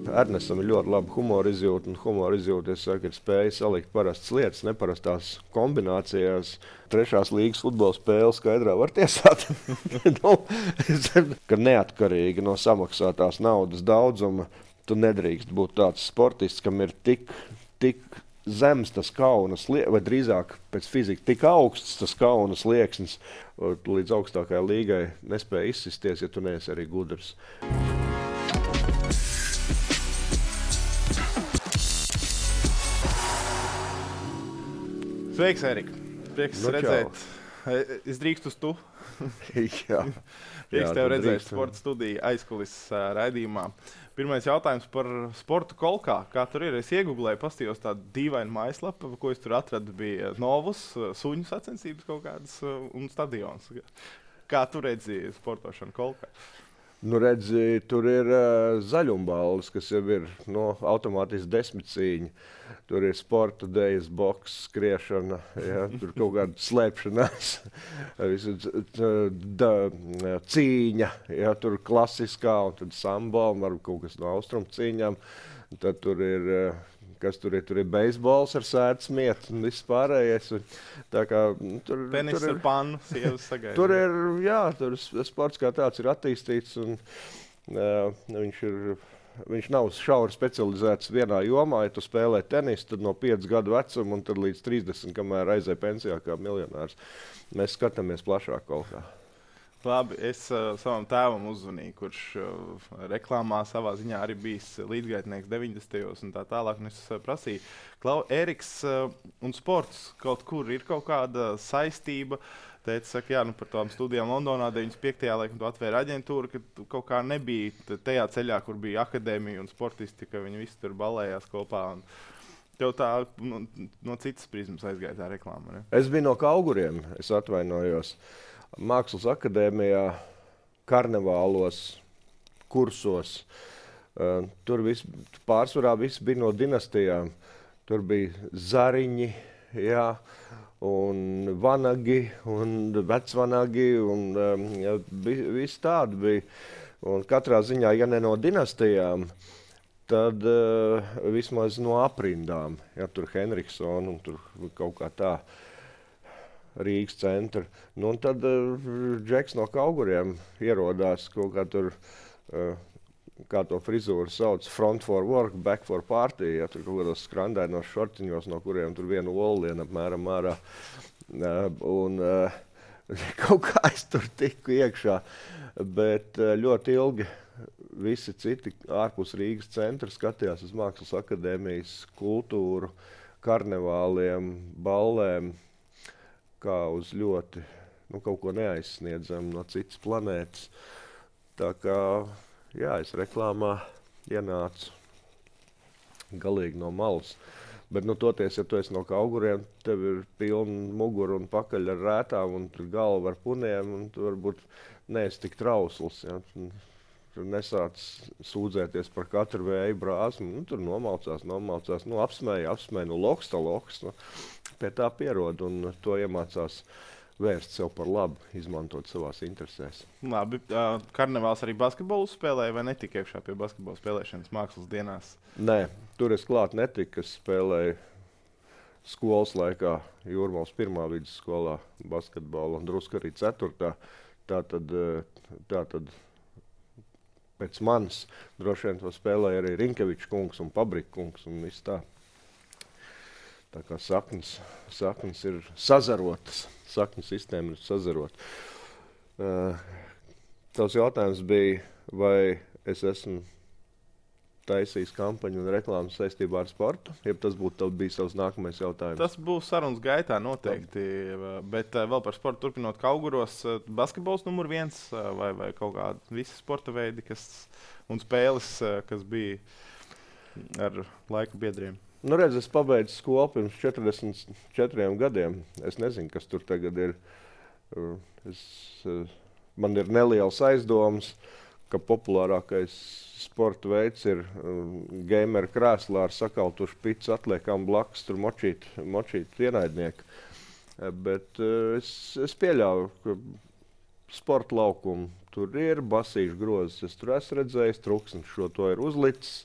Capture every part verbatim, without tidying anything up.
Ernestam ir ļoti laba humora izjūta, un humora izjūta, es saku, ir spēja salikt parastas lietas, neparastās kombinācijās. Trešās līgas futbola spēle skaidrā var tiesāt, nu, ka neatkarīgi no samaksātās naudas daudzuma tu nedrīkst būt tāds sportists, kam ir tik, tik zems tas kaunas, vai drīzāk pēc fizikas tik augsts tas kaunas lieksnis, līdz augstākajai līgai nespēja izsisties, ja tu neesi arī gudrs. Sveiks, Erika. Prieks Nu, redzēt. Es drīkstu uz tu. Jā. Prieks Jā, tev tu redzēt drīkst. sporta studiju aizkulises ā, raidījumā. Pirmais jautājums par sportu kolkā. Kā tur ir? Es iegooglēju, pastījos tādu dīvainu mājaslapu, ko es tur atradu, bija Novus, suņu sacensības kaut kādas ā, un stadions. Kā tu redzi sportošanu kolkā? Nu, redzi, tur ir uh, zaļumbalvas, kas jau ir no automātiski desmit cīņa. Tur ir sporta dejas, boks, skriešana, ja, tur kaut kāda slēpšanās, visu, da, cīņa, ja, tur klasiskā, un tad samba, un varbūt kaut kas no austrumu cīņām. Tad tur ir, kas tur ir, tur ir beisbols ar sēdz mietu un viss pārējais. Un, tā kā, tur, Tenis tur ar pannu, sievas sagaida. Tur ir, jā, tur sports kā tāds ir attīstīts, un uh, viņš ir, viņš nav šauri specializēts vienā jomā. Ja tu spēlē tenisu, tad no piecu gadu vecuma un tad līdz trīsdesmit, kamēr aizēj pensijā kā miljonārs. Mēs skatāmies plašāk kaut kā. Labi, es uh, savam tēvam uzzvanīju, kurš uh, reklāmā savā ziņā arī bijis līdzgaitnieks deviņdesmitajos un tā tālāk. Un es uh, prasīju, Klau, Eriks uh, un sports kaut kur ir kaut kāda saistība. Teica, saka, jā, nu par tām studijām Londonā deviņdesmit piektajā laikam tu atvēri aģentūru, ka tu kaut kā nebija tajā ceļā, kur bija akadēmija un sportisti, ka viņi visi tur balējās kopā. Un tev tā no, no citas prizmas aizgāja tā reklāma, ne? Es biju no Kauguriem, es atvainojos. Mākslas akadēmijā, karnevālos, kursos. Uh, tur vis, pārsvarā viss bija no dinastijām. Tur bija Zariņi, jā, un Vanagi, un Vecvanagi, un um, jā, viss tādi bija. Un katrā ziņā, ja ne no dinastijām, tad uh, vismaz no aprindām. Ja, tur Henriksona un tur kaut kā tā. Rīgas centra. Nu, un tad uh, Džeks no Kauguriem ierodās kaut kā tur, uh, kā to frizūru sauc, front for work, back for party. Ja, tur kaut kādos skrandainos šortiņos, no kuriem tur vienu olienu apmēram ārā. Uh, un uh, kaut kā es tur tiku iekšā. Bet uh, ļoti ilgi visi citi ārpus Rīgas centra skatījās uz Mākslas akadēmijas kultūru, karnevāliem, ballēm, kā uz ļoti, nu, kaut ko neaizsniedzam no citas planētas. Tā kā, jā, es reklāmā ienācu galīgi no malas. Bet, nu, toties, ja tu esi no Kauguriem, tev ir pilna mugura un pakaļ ar rētām un tur galva ar puniem, un tu varbūt neesi tik trausls, ja. Tur nesāc sūdzēties par katru vēju brāzmu, nu, tur nomalcās, nomalcās, nu, apsmēja, apsmēja, nu, loks tā loks, nu, pie tā pierod un to iemācās vērst sev par labu, izmantot savās interesēs. Labi, uh, karnevāls arī basketbolu spēlēja vai netika iekšā pie basketbola spēlēšanas mākslas dienās? Nē, tur es klāt netiku, es spēlēju skolas laikā Jūrmals pirmā vidusskolā basketbolu un drusku arī ceturtā. Tātad, tātad pēc manis droši vien to spēlēja arī Rinkevičs kungs un Pabrika kungs un viss tā. Tā kā saknes, saknes ir sazarotas, saknes sistēma ir sazarota. Uh, tavs jautājums bija, vai es esmu taisījis kampaņu un reklāmas saistībā ar sportu, ja tas būtu bijis tavs nākamais jautājums? Tas būs sarunas gaitā noteikti, bet uh, vēl par sportu turpinot Kauguros, uh, basketbols numur viens uh, vai, vai kaut kādi visi sporta veidi kas, un spēles, uh, kas bija ar laika biedriem? Nu, redz, es pabeidzu skolu pirms četrdesmit četriem gadiem. Es nezinu, kas tur tagad ir. Es, man ir neliels aizdoms, ka populārākais sporta veids ir um, gameru krēslā ar sakaltušu picu atliekām blakus, tur močīt, močīt ienaidnieku. Bet uh, es, es pieļauju, ka sporta laukumu tur ir basīšu grozes. Es tur esmu redzējis, truksnis šo to ir uzlicis.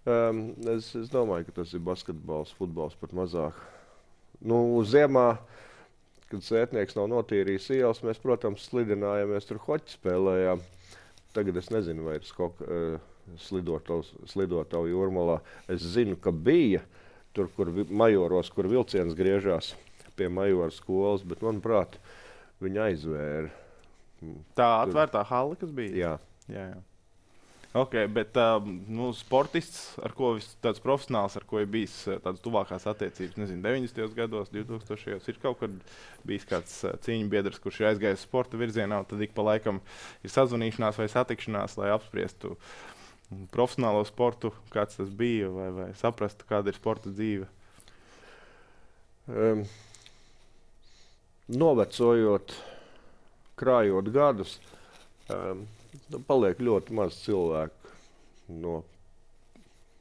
Um, es, es domāju, ka tas ir basketbols, futbols pat mazāk. Nu, ziemā, kad sētnieks nav notīrījis ielas, mēs, protams, slidinājāmies, tur hoķi spēlējām. Tagad es nezinu, vai ir skok, uh, slidotavu Jūrmalā. Es zinu, ka bija tur, kur vi- Majoros, kur vilciens griežās pie Majora skolas, bet, manuprāt, viņi aizvēra. Tā atvērtā hala, kas bija? Jā. Jā, jā. Ok, bet um, nu, sportists, ar ko vis, tāds profesionāls, ar ko ir bijis uh, tādas tuvākās attiecības, nezinu, deviņdesmitajos gados, divtūkstošajos, ir kaut kad bijis kāds uh, cīņu biedrs, kurš ir aizgājis sporta virzienā, un tad ik pa laikam ir sazvanīšanās vai satikšanās, lai apspriestu profesionālo sportu, kāds tas bija, vai, vai saprastu, kāda ir sporta dzīve? Um, novecojot, krājot gadus, um, paliek ļoti maz cilvēku no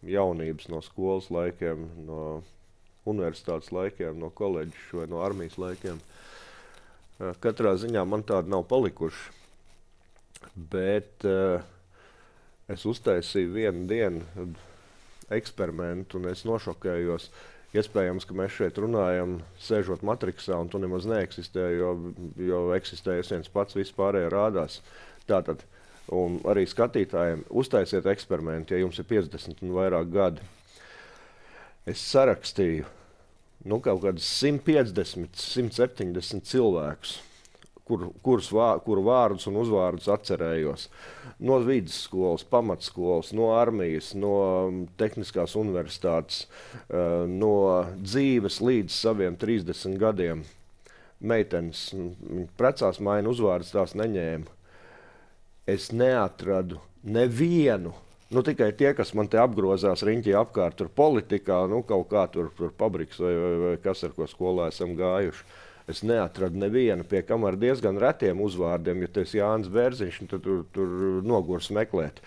jaunības, no skolas laikiem, no universitātes laikiem, no koledžas vai no armijas laikiem. Uh, katrā ziņā man tāda nav palikuši, bet uh, es uztaisīju vienu dienu eksperimentu un es nošokējos. Iespējams, ka mēs šeit runājam, sēžot matriksā, un tu nemaz neeksistē, jo, jo eksistējas viens pats, viss pārējie rādās. Tātad, un arī skatītājiem uztaisiet eksperimentu, ja jums ir piecdesmit un vairāk gadi. Es sarakstīju nu, kaut kādus simt piecdesmit, simt septiņdesmit cilvēkus, kur, kurus vā, kuru vārdus un uzvārdus atcerējos. No vidusskolas, pamatskolas, no armijas, no tehniskās universitātes, no dzīves līdz saviem trīsdesmit gadiem. Meitenes precās maina uzvārdus, tās neņēma. Es neatradu nevienu, nu tikai tie, kas man te apgrozās riņķī apkārt, tur politikā, nu kaut kā tur, tur pabriks vai, vai, vai kas, ar ko skolā esam gājuši. Es neatradu nevienu, pie kam ar diezgan retiem uzvārdiem, ja tu esi Jānis Bērziņš, tad tur, tur nogurs meklēt.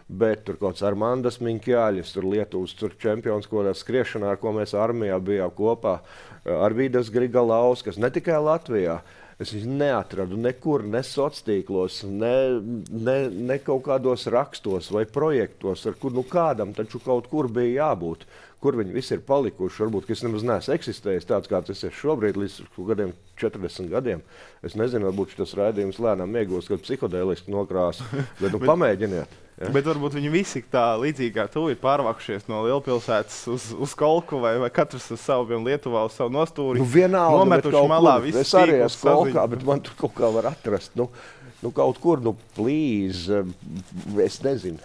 Bet tur kaut kāds Armandas Miņķāļis, tur Lietuvas tur čempions, ko tā skriešanā, ar ko mēs armijā bijām kopā, Arvīdas Grigalauskas, ne tikai Latvijā. Es viņu neatradu nekur, ne sociālos, ne, ne, ne kaut kādos rakstos vai projektos, ar kur nu kādam taču kaut kur bija jābūt. Kur viņi visi ir palikuši. Varbūt, ka es nemaz neesmu eksistējis tāds, kāds es esmu šobrīd, līdz gadiem, četrdesmit gadiem. Es nezinu, varbūt šis raidījums lēnām iegūs, kad psihodēliski nokrāsu, bet nu pamēģiniet. Ja? Bet varbūt viņi visi tā līdzīgi kā tu ir pārvākušies no lielpilsētas uz, uz Kolku vai, vai katrs uz savu, piemēram, Lietuvā uz savu nostūri. Nu vienalga, nometuši malā visu es arī esmu Kolkā, bet man tur kaut kā var atrast. Nu, nu kaut kur, nu plīz, es nezinu.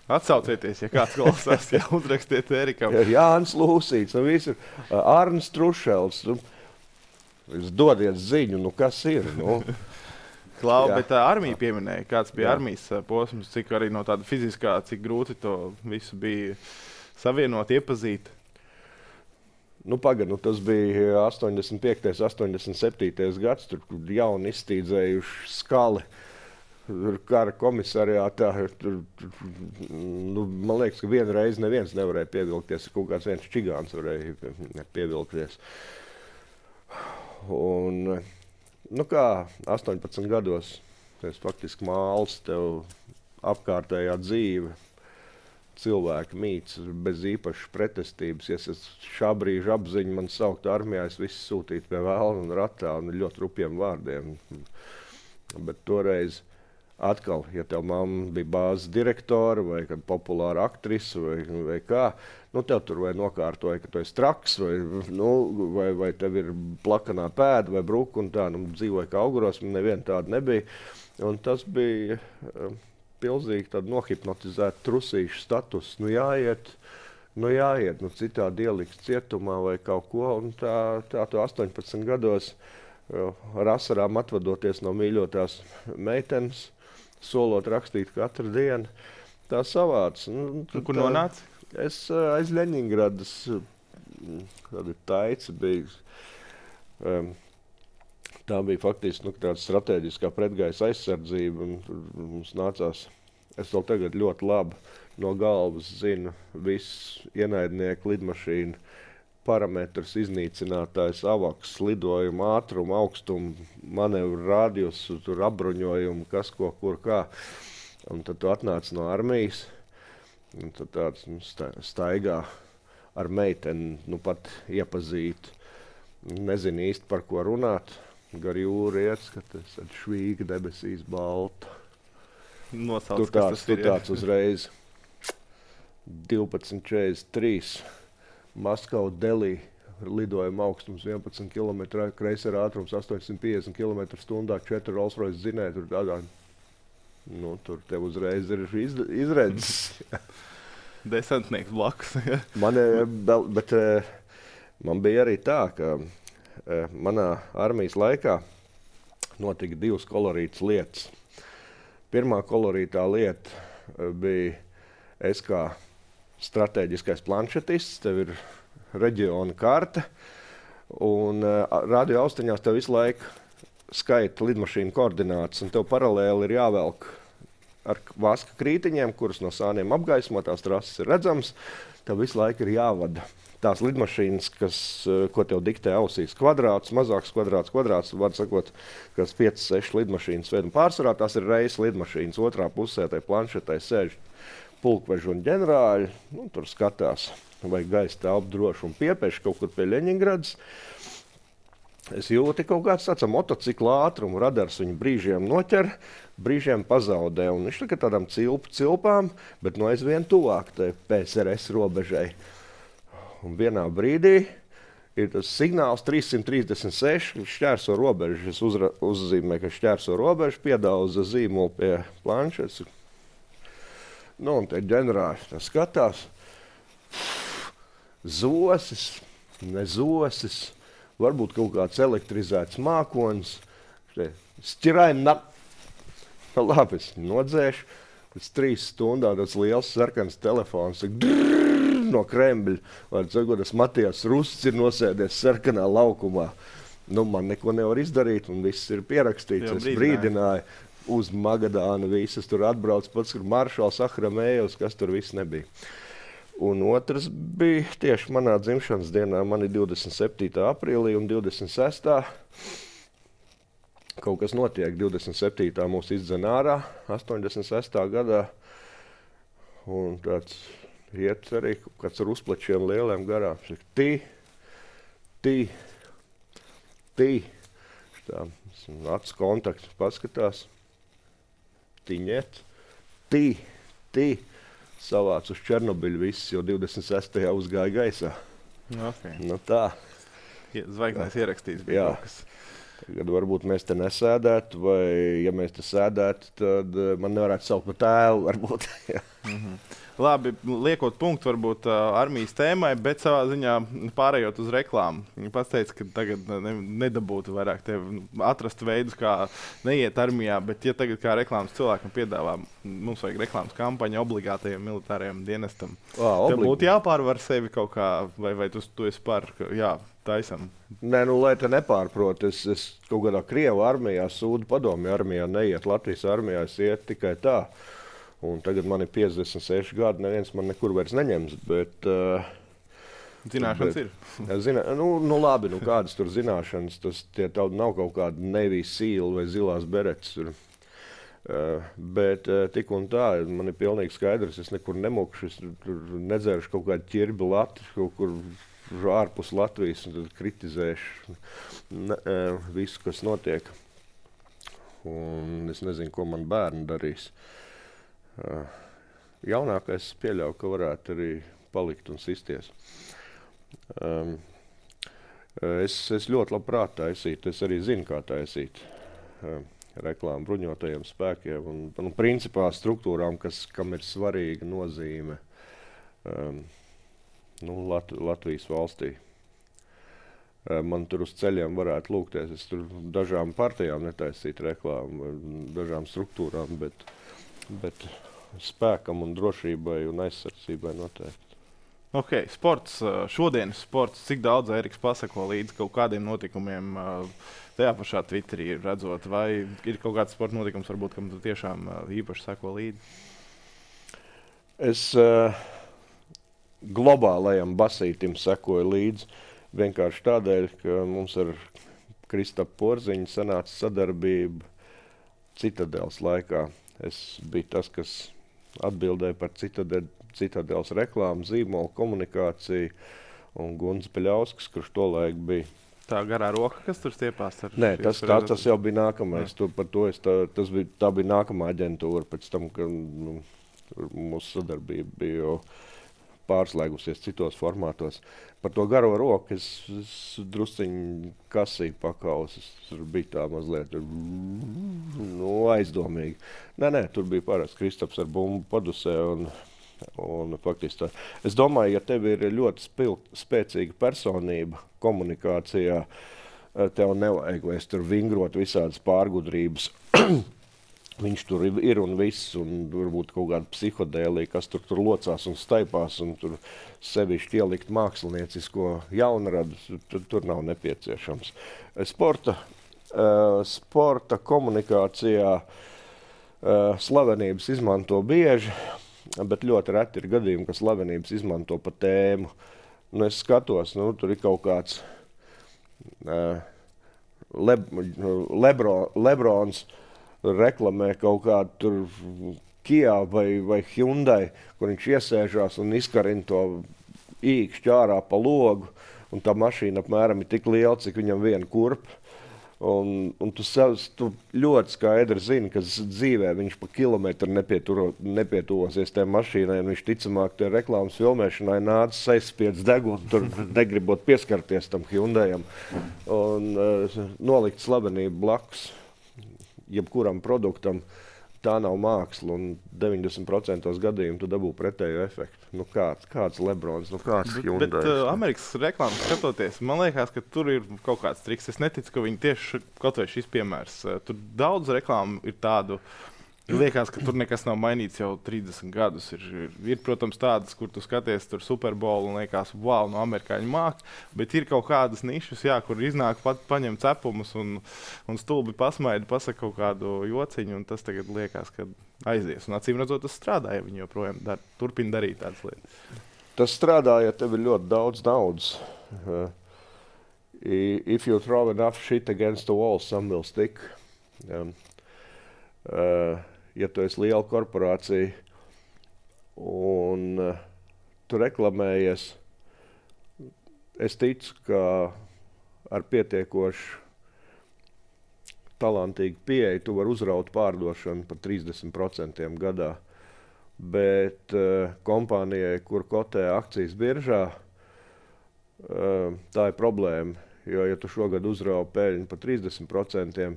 Atsaucieties, ja kāds klausās, ja uzrakstiet Erikam. Jānis Lūsīts, nu visi ir Arnis Trušels. Nu, dodiet ziņu, nu kas ir, nu. Klau, Jā. bet uh, armija pieminēja, kāds bija Jā. armijas uh, posms, cik arī no tāda fiziskā, cik grūti to visu bija savienot, iepazīt. Nu, pagad, nu, tas bija astoņdesmit piektais, astoņdesmit septītais gads, tur jauni iztīdzējuši skali. Tur kara komisariātā, tur, tur, nu, man liekas, ka vienu reizi neviens nevarēja pievilkties, kaut kāds viens čigāns varēja pievilkties. Un, nu kā, astoņpadsmit gados, es faktiski māls tev apkārtējā dzīve, cilvēki mīts bez īpašas pretestības. Ja es šā brīža apziņu man saukt armijā, es visu sūtītu pie vēlna un ratā un ļoti rupjiem vārdiem. Bet toreiz atkal, ja tev mamma bija bāzes direktora vai kāda populāra aktrise vai, vai kā, nu tev tur vai nokārtoja, ka tu esi traks vai, nu, vai, vai tev ir plakanā pēda vai bruka un tā, nu dzīvoja kā auguros, man neviena tāda nebija. Un tas bija um, pilnīgi tāda nohipnotizēta trusīša status. Nu jāiet, nu jāiet, nu citādi ieliks cietumā vai kaut ko, un tā, tā tu astoņpadsmit gados uh, ar asarām atvadoties no mīļotās meitenes, solot rakstīt katru dienu, tā savāds. Nu, Kur nonāca? Es uh, aiz Ļeņingradas, kāda taica bija. Um, tā bija faktiski nu, tāda strateģiskā pretgaisa aizsardzība. Un, un mums nācās, es vēl tagad ļoti labi no galvas zinu visu ienaidnieku lidmašīnu parametrus, iznīcinātājs, avaks, lidojumu, ātrumu, augstumu, manevru radiusu, tur apbruņojumu, kas ko, kur, kā. Un tad tu atnāc no armijas, Un tad tāds nu, sta- staigā ar meiteni, nu pat iepazīt. Nezinu īsti par ko runāt. Gar jūru iet, skaties, ar švīga debesīs balta. Nosauc, Tur kas tāds, tas tur ir. jā. tāds uzreiz. divpadsmit četrdesmit trīs. Maskava Delī. Lidojuma augstums vienpadsmit kilometri, kreisera ātrums astoņsimt piecdesmit kilometru stundā, četri Rolls-Royce dzinēji. Tur tādā, nu, tur tev uzreiz ir izd- izredzes. Desantnieks blakus. jā. Man, eh, bel- bet, eh, man bija arī tā, ka eh, manā armijas laikā notika divas kolorītas lietas. Pirmā kolorītā lieta eh, bija es kā strateģiskais planšetists. Tev ir reģiona karte, un uh, radio austiņās tev visu laiku skaita lidmašīnu koordinātas, un tev paralēli ir jāvelk ar vaska krītiņiem, kuras no sāniem apgaismotās trases ir redzams. Tev visu laiku ir jāvada tās lidmašīnas, kas, uh, ko tev diktē ausīs. Kvadrāts, mazāks kvadrāts, kvadrāts, var sakot, kas piecas, sešas lidmašīnas ved, un pārsvarā tās ir reizes lidmašīnas. Otrā pusē tai planšetai sēž pulkveži un ģenerāļi, nu, tur skatās. Vai gaisa telpa droši un piepieši kaut kur pie Ļeņingradas. Es jūtu kaut kāds tāds motocikla ātrumu, radars viņu brīžiem noķer, brīžiem pazaudē. Un viņš tā tādām cilpu cilpām, bet no aizvien tuvāk tai P S R S robežai. Un vienā brīdī ir tas signāls trīssimt trīsdesmit seši, kas šķērso robežu. Es uzra, uzzīmēju, ka šķērso robežu, piedauza zīmolu pie planšetes. Nu, un te ģenerāļi tā skatās. Zosis, ne zosis, varbūt kaut kāds elektrizēts mākonis. Šķiraina. Labi, es nodzēšu. Pēc trīs stundām tāds liels sarkans telefons drrrr, no Kremļa. Var sakot, tas Matijas Rusts ir nosēdies sarkanā laukumā. Nu, man neko nevar izdarīt, un viss ir pierakstīts. Jau Es brīdināju. brīdināju uz Magadānu visas. Tur atbrauc pats, kur Maršals, Ahramējevs, kas tur viss nebija. Un otrs bija tieši manā dzimšanas dienā. Man ir divdesmit septītā aprīlī un divdesmit sestā Kaut kas notiek. divdesmit septītā mūs izdzen ārā, astoņdesmit sestā gadā. Un tāds iet arī kaut kāds ar uzplečiem lieliem garām. Tī, tī, tī. Tā, acu kontakts paskatās. Tiņet, tī, tī. Savāc uz Černobiļu viss, jo divdesmit sestajā uzgāja gaisā. Okay. Nu tā. Zvaigznēs ierakstīts. Jā. Tagad varbūt mēs te nesēdētu, vai ja mēs te sēdētu, tad uh, man nevarētu saukt par tēlu, varbūt. mm-hmm. Labi, liekot punktu varbūt uh, armijas tēmai, bet savā ziņā pārējot uz reklāmu. Viņa pats teica, ka tagad ne, nedabūtu vairāk tevi atrast veidus, kā neiet armijā, bet ja tagad kā reklāmas cilvēkam piedāvā, mums vajag reklāmas kampaņa obligātajam militārajam dienestam. Ā, Tev būtu jāpārvar sevi kaut kā, vai, vai tu, tu esi par, ka, jā, taisam. Nē, nu, lai te nepārprot, es, es kaut kādā Krievu armijā, Sūdu padomju armijā neiet, Latvijas armijā es iet tikai tā. Un tagad man ir piecdesmit seši gadi, neviens man nekur vairs neņems, bet... Uh, Zināšanas bet, ir. Zina, nu, nu labi, nu kādas tur zināšanas, tas tie nav kaut kāda Navy Seal vai zilās beretes. Tur. Uh, bet uh, tik un tā, man ir pilnīgi skaidrs, es nekur nemokšu, es tur nedzēršu kaut kādu ķirbi Latvijas, kaut kur ārpus Latvijas, un tad kritizēšu ne, uh, visu, kas notiek. Un es nezinu, ko man bērni darīs. Uh, jaunākais pieļauju, ka varētu arī palikt un sisties. Um, es, es ļoti labprāt taisītu, es arī zinu, kā taisīt um, reklāmu bruņotajiem spēkiem un, un principā struktūrām, kas, kam ir svarīga nozīme um, nu, Lat, Latvijas valstī. Uh, man tur uz ceļiem varētu lūgties, es tur dažām partijām netaisītu reklāmu, dažām struktūrām, bet, bet spēkam un drošībai un aizsardzībai noteikti. Ok, sports, šodienas sports, cik daudz Eriks pasako līdz kaut kādiem notikumiem tajā pašā Twitterī redzot, vai ir kaut kāds sporta notikums, varbūt, kam tu tiešām īpaši sako līdzi? Es uh, globālajam basītim sekoju līdzi vienkārši tādēļ, ka mums ar Kristapu Porziņu sanāca sadarbība Citadels laikā. Es biju tas, kas atbildēja par Citadel, Citadeles reklāmu, zīmolu, komunikāciju, un Gunts Peļauskas, kurš tolaik bija. Tā garā roka, kas tur stiepās? Nē, tas, tā, tas jau bija nākamais. Tu, par to es, tā, tas bija, tā bija nākamā aģentūra, pēc tam, kad nu, mūsu sadarbība bija jau pārslēgusies citos formātos. Par to garo roku es, es drusciņi kasīju pakaus. Tur bija tā mazliet nu, aizdomīgi. Nē, nē, tur bija parasti Kristaps ar bumbu padusē. Un, un, faktiski tā. Es domāju, ja tev ir ļoti spilgt, spēcīga personība komunikācijā, tev nevajag vairs tur vingrot visādas pārgudrības. Viņš tur ir un viss, un varbūt kaut kāda psihodēlija, kas tur, tur locās un staipās, un tur sevišķi ielikt māksliniecisko jaunradu, tur, tur nav nepieciešams. Sporta, uh, sporta komunikācijā uh, slavenības izmanto bieži, bet ļoti reti ir gadījumi, ka slavenības izmanto pa tēmu. Nu, es skatos, nu, tur ir kaut kāds uh, Le, Lebro, Lebrons, reklamē kaut kādu tur Kia vai, vai Hyundai, kur viņš iesēžās un izkarina to īkšķi ārā pa logu, un tā mašīna apmēram ir tik liela, cik viņam viena kurpa. Un, un tu, sev, tu ļoti skaidri zini, ka dzīvē viņš pa kilometru nepietuvosies tajā mašīnai, un viņš ticamāk tie reklāmas filmēšanai nācis aizspiedz degunu, tur negribot pieskarties tam Hyundaiam, un uh, nolikt slavenību blakus jebkuram produktam. Tā nav māksla, un deviņdesmit procentos gadījumu tu dabū pretējo efektu. Nu kāds, kāds Lebrons, nu kāds Hyundai. Bet, bet uh, Amerikas reklāmas skatoties, man liekas, ka tur ir kaut kāds triks. Es neticu, ka viņi tieši kaut vai šis piemērs. Uh, tur daudz reklāmu ir tādu, liekas, ka tur nekas nav mainīts jau trīsdesmit gadus. Ir, ir, ir protams, tādas, kur tu skaties tur Super Bowl un liekas, wow, no amerikāņu māk, bet ir kaut kādas nišas, jā, kur iznāk pat paņem cepumus un, un stulbi pasmaida, pasaka kaut kādu jociņu, un tas tagad liekas, ka aizies. Un acīm redzot, tas strādā, ja viņi joprojām dar, turpina darīt tādas lietas. Tas strādā, ja tev ir ļoti daudz naudas. Uh, if you throw enough shit against the wall, some will stick. Um, uh, ja tu esi liela korporācija un uh, tu reklamējies, es ticu, ka ar pietiekošu talantīgu pieeju tu vari uzraut pārdošanu par trīsdesmit procentiem gadā. Bet uh, kompānijai, kur kotē akcijas biržā, uh, tā ir problēma. Jo, ja tu šogad uzrauj peļņu par trīsdesmit procentiem,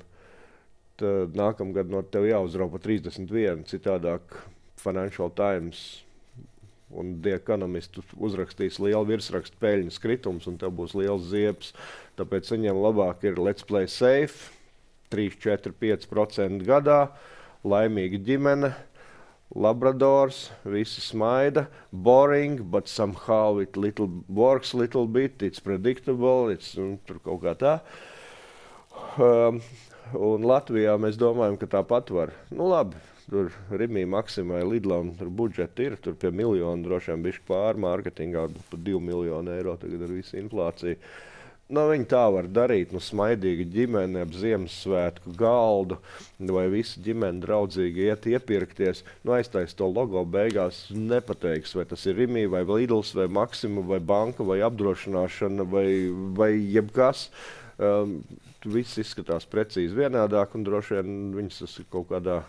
tad nākamgad no tev jāuzrauj par trīsdesmit vienu. Citādāk Financial Times un The Economist uzrakstīs lielu virsrakstu peļņas kritums, un tev būs liels ziepes. Tāpēc viņiem labāk ir let's play safe, trīs, četri, pieci procenti gadā, laimīga ģimene, Labradors, visi smaida, boring, but somehow it little works little bit, it's predictable, it's un, tur kaut kā tā. Um, un Latvijā mēs domājam, ka tāpat var. Nu labi, tur Rimī, Maksimai, Lidlam tur budžeti ir, tur pie miljonu drošiem bišķi pār mārketingā, pat divi miljoni eiro tagad ar visu inflāciju. Nu, viņi tā var darīt, nu, smaidīga ģimene ap Ziemassvētku galdu, vai visa ģimene draudzīgi iet iepirkties. Nu, aiztais to logo beigās nepateiks, vai tas ir Rimī, vai Lidls, vai Maksima, vai banka, vai apdrošināšana, vai, vai jebkas. Um, viss izskatās precīzi vienādāk, un droši vien viņas tas kaut kādā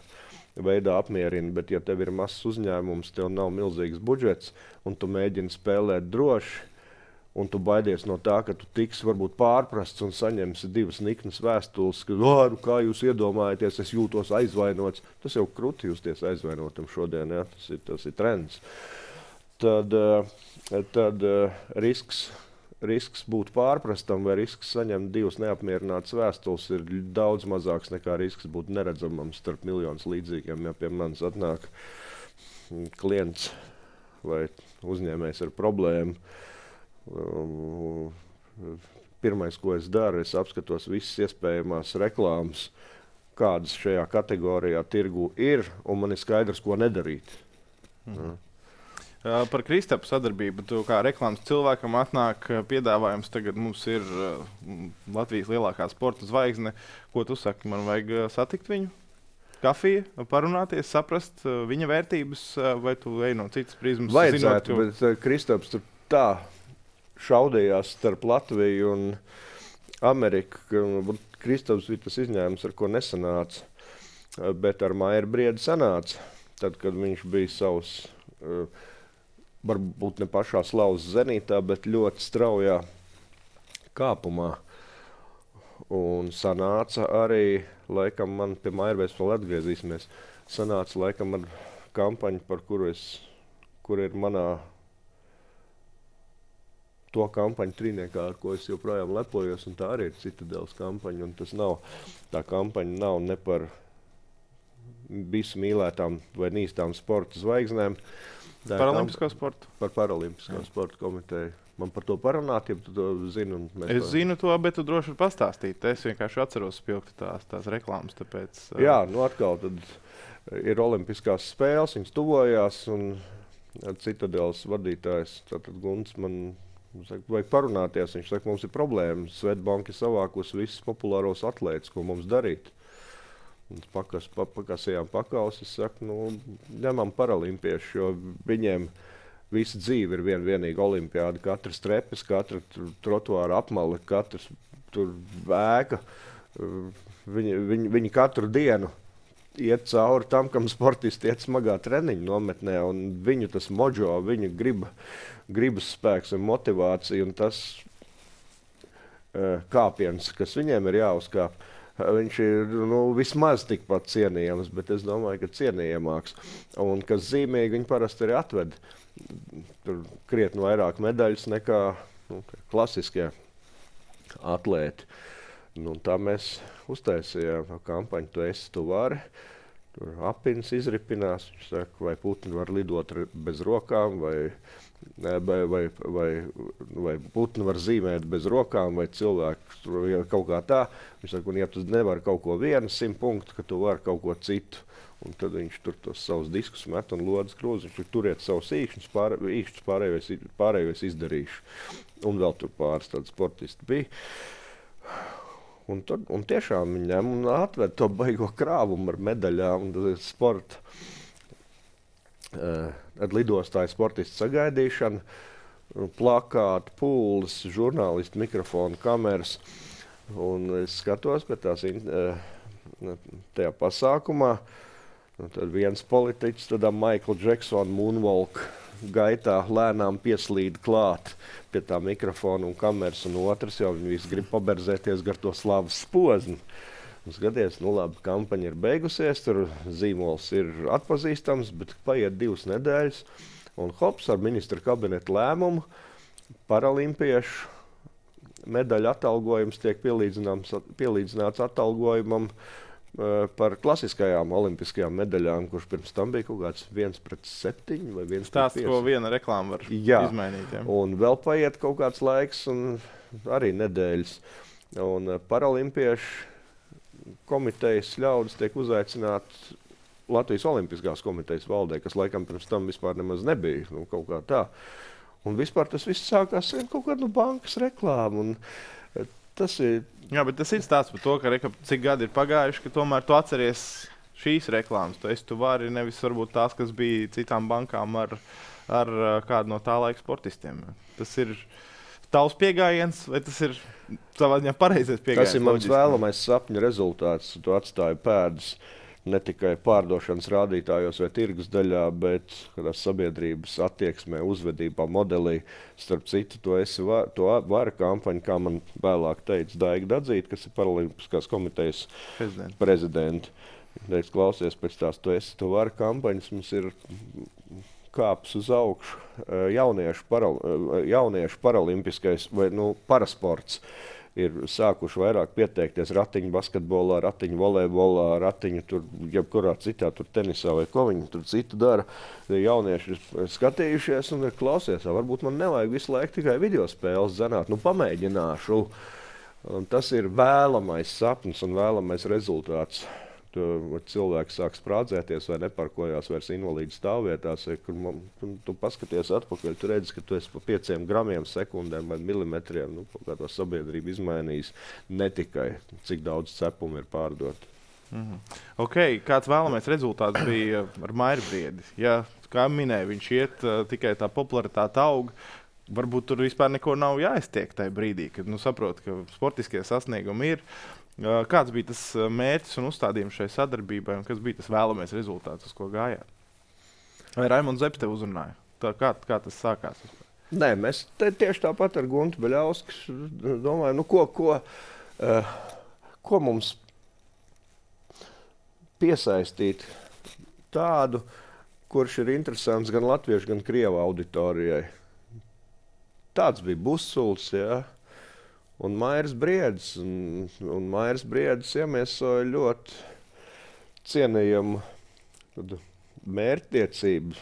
veidā apmierina, bet ja tev ir mazs uzņēmums, tev nav milzīgs budžets, un tu mēģini spēlēt droši, un tu baidies no tā, ka tu tiks varbūt pārprasts un saņemsi divas niknas vēstules, ka, nu, kā jūs iedomājaties, es jūtos aizvainots. Tas jau kruti justies aizvainotam šodien, ja? tas, ir, tas ir trends. Tad, tad risks, risks būt pārprastam vai risks saņemt divas neapmierinātas vēstules ir daudz mazāks nekā risks būt neredzamam starp miljonus līdzīgiem. Ja pie manis atnāk klients vai uzņēmējs ar problēmu, Um, pirmais, ko es daru, es apskatos visas iespējamās reklāmas, kādas šajā kategorijā tirgu ir, un man ir skaidrs, ko nedarīt. Mm. Uh, par Kristapu sadarbību, tu kā reklāmas cilvēkam atnāk piedāvājums, tagad mums ir uh, Latvijas lielākā sporta zvaigzne. Ko tu saki, man vajag uh, satikt viņu? kafiju, parunāties, saprast viņa vērtības, vai tu ej no citas prizmas? Vajadzētu, zinot, ka... bet Kristaps tur tā šaudījās starp Latviju un Ameriku, ka Kristaps bija tas izņēmums, ar ko nesanāca, bet ar Mairu Briedi sanāca. Tad, kad viņš bija savs, varbūt ne pašā slavas zenītā, bet ļoti straujā kāpumā. Un sanāca arī, laikam man pie Mairvēs vēl atgriezīsimies, sanāca laikam ar kampaņu, par kuru es, kur ir manā to kampaņu trīniekā, ar ko es joprojām lepojos, un tā arī ir Citadeles kampaņa, un tas nav, tā kampaņa nav ne par visu mīlētām vai nīstām sporta zvaigznēm. Paralimpisko sportu? Par Paralimpisko sporta komiteju. Man par to parunāt, ja tu to zini. Un es to... zinu to, bet tu droši vari pastāstīt. Es vienkārši atceros spilgti tās, tās reklāmas. Tāpēc, uh... Jā, nu atkal tad ir olimpiskās spēles, viņas tuvojās, un Citadeles vadītājs, tātad Gunts, man saka, vajag parunāties. Viņš saka, mums ir problēma. Svetbanka ir savākus visus populāros atlētus, ko mums darīt. Un pakas, pa, pakasījām pakaus, es saku, nu, ņemam paralimpiešu, jo viņiem visa dzīve ir viena vienīga olimpiāda. Katrs trepes, katra trotuāra apmale, katrs tur vēka. Viņi, viņi, viņi katru dienu iet cauri tam, kam sportisti iet smagā treniņu nometnē, un viņu tas mojo, viņu grib, gribas spēks un motivācija, un tas kāpiens, kas viņiem ir jāuzkāp, viņš ir nu, vismaz tikpat cienījams, bet es domāju, ka cienījamāks. Un kas zīmīgi, viņi parasti arī atved tur krietni vairāk medaļas nekā nu, klasiskie atlēti. Nu, tā mēs uztaisījām kampaņu, tu esi, tu vari. Tur apins izripinās, viņš saka, vai putni var lidot bez rokām, vai, vai, vai, vai, vai putni var zīmēt bez rokām, vai cilvēki kaut kā tā. Viņš saka, un ja tu nevari kaut ko vienu simt punktu, ka tu vari kaut ko citu. Un tad viņš tur tos savus diskus met un lodas krūzi, viņš tur turiet savus īkšņus, pār, īkšņus pārējos, pārējos izdarīšu. Un vēl tur pāris tādi sportisti bija. Un, tad, un tiešām viņam atved to baigo krāvumu ar medaļām un sporta. Uh, ar lidostāju sportistu sagaidīšanu, plakāti, pūles, žurnālisti, mikrofonu, kameras. Un es skatos pēc tās uh, tajā pasākumā. Un tad viens politiķis, tādā Michael Jacksona moonwalk gaitā lēnām pieslīd klāt pie tā mikrofona un kameras, un otrs jau viņi visi grib paberzēties gar to slavas pozni. Un skaties, nu labi, kampaņa ir beigusies, tur zīmols ir atpazīstams, bet paiet divas nedēļas, un hops ar ministra kabineta lēmumu paralimpiešu medaļu atalgojums tiek pielīdzināts atalgojumam par klasiskajām olimpiskajām medaļām, kurš pirms tam bija kaut kāds viens pret septiņi vai viens pret pieci. Stāsts, ko viena reklāma var jā. izmainīt. Jā. Un vēl paiet kaut kāds laiks un arī nedēļas. Un paralimpiešu komitejas ļaudis tiek uzaicināti Latvijas olimpiskās komitejas valdē, kas laikam pirms tam vispār nemaz nebija. Nu, kaut kā tā. Un vispār tas viss sākās kaut kādu bankas reklāmu. Un tas ir... Jā, bet tas ir stāsts par to, ka reka, cik gadi ir pagājuši, ka tomēr tu atceries šīs reklāmas. Tu esi tu vari, nevis varbūt tās, kas bija citām bankām ar, ar kādu no tā laika sportistiem. Tas ir tavs pieejams, vai tas ir savā ziņā pareizais pieejams? Tas ir mans vēlamais sapņu rezultāts. Tu atstāji pēdas ne tikai pārdošanas rādītājos vai tirgus daļā, bet kādā sabiedrības attieksmē, uzvedībā, modelī. Starp citu, to esi var, to vara kampaņa, kā man vēlāk teica Daiga Dadzīte, kas ir Paralimpiskās komitejas prezidenti. prezidenti. Teic, klausies, pēc tās to esi, to vara kampaņas, mums ir kāps uz augšu jauniešu, paral, jauniešu paralimpiskais vai nu, parasports. Ir sākuši vairāk pieteikties ratiņu basketbolā, ratiņu volejbolā, ratiņu tur, jebkurā citā tur tenisā vai ko viņi tur citu dara. Jaunieši ir skatījušies un ir klausies, varbūt man nevajag visu laiku tikai video spēles zināt, nu pamēģināšu. Un tas ir vēlamais sapnis un vēlamais rezultāts. Tu, cilvēki sāk sprādzēties vai neparkojās vairs invalīdu stāvvietās, kur man, tu, tu paskaties atpakaļ, tu redzi, ka tu esi pa pieciem gramiem, sekundēm vai milimetriem, nu, kā to sabiedrību izmainījis, ne tikai cik daudz cepumu ir pārdot. Mm-hmm. Okay, kāds vēlamais rezultāts bija ar Mairu Briedi? Ja, kā minēja, viņš iet uh, tikai tā popularitāte aug. Varbūt tur vispār neko nav jāiztiek tajā brīdī, kad nu, saprot, ka sportiskie sasniegumi ir. Uh, kāds bija tas mērķis un uzstādījums šai sadarbībai un kas bija tas vēlamais rezultāts, uz ko gājāt? Vai Raimonds Zepes te uzrunāja? Tā, kā, kā tas sākās? Nē, mēs te, tieši tāpat ar Guntu Beļausku domājam, nu, ko, ko, uh, ko mums piesaistīt tādu, kurš ir interesants gan latviešu, gan krievu auditorijai. Tāds bija Busuls, ja, un Mairis Briedis. Un, un Mairis Briedis iemiesoja ļoti cienījamu mērķtiecību,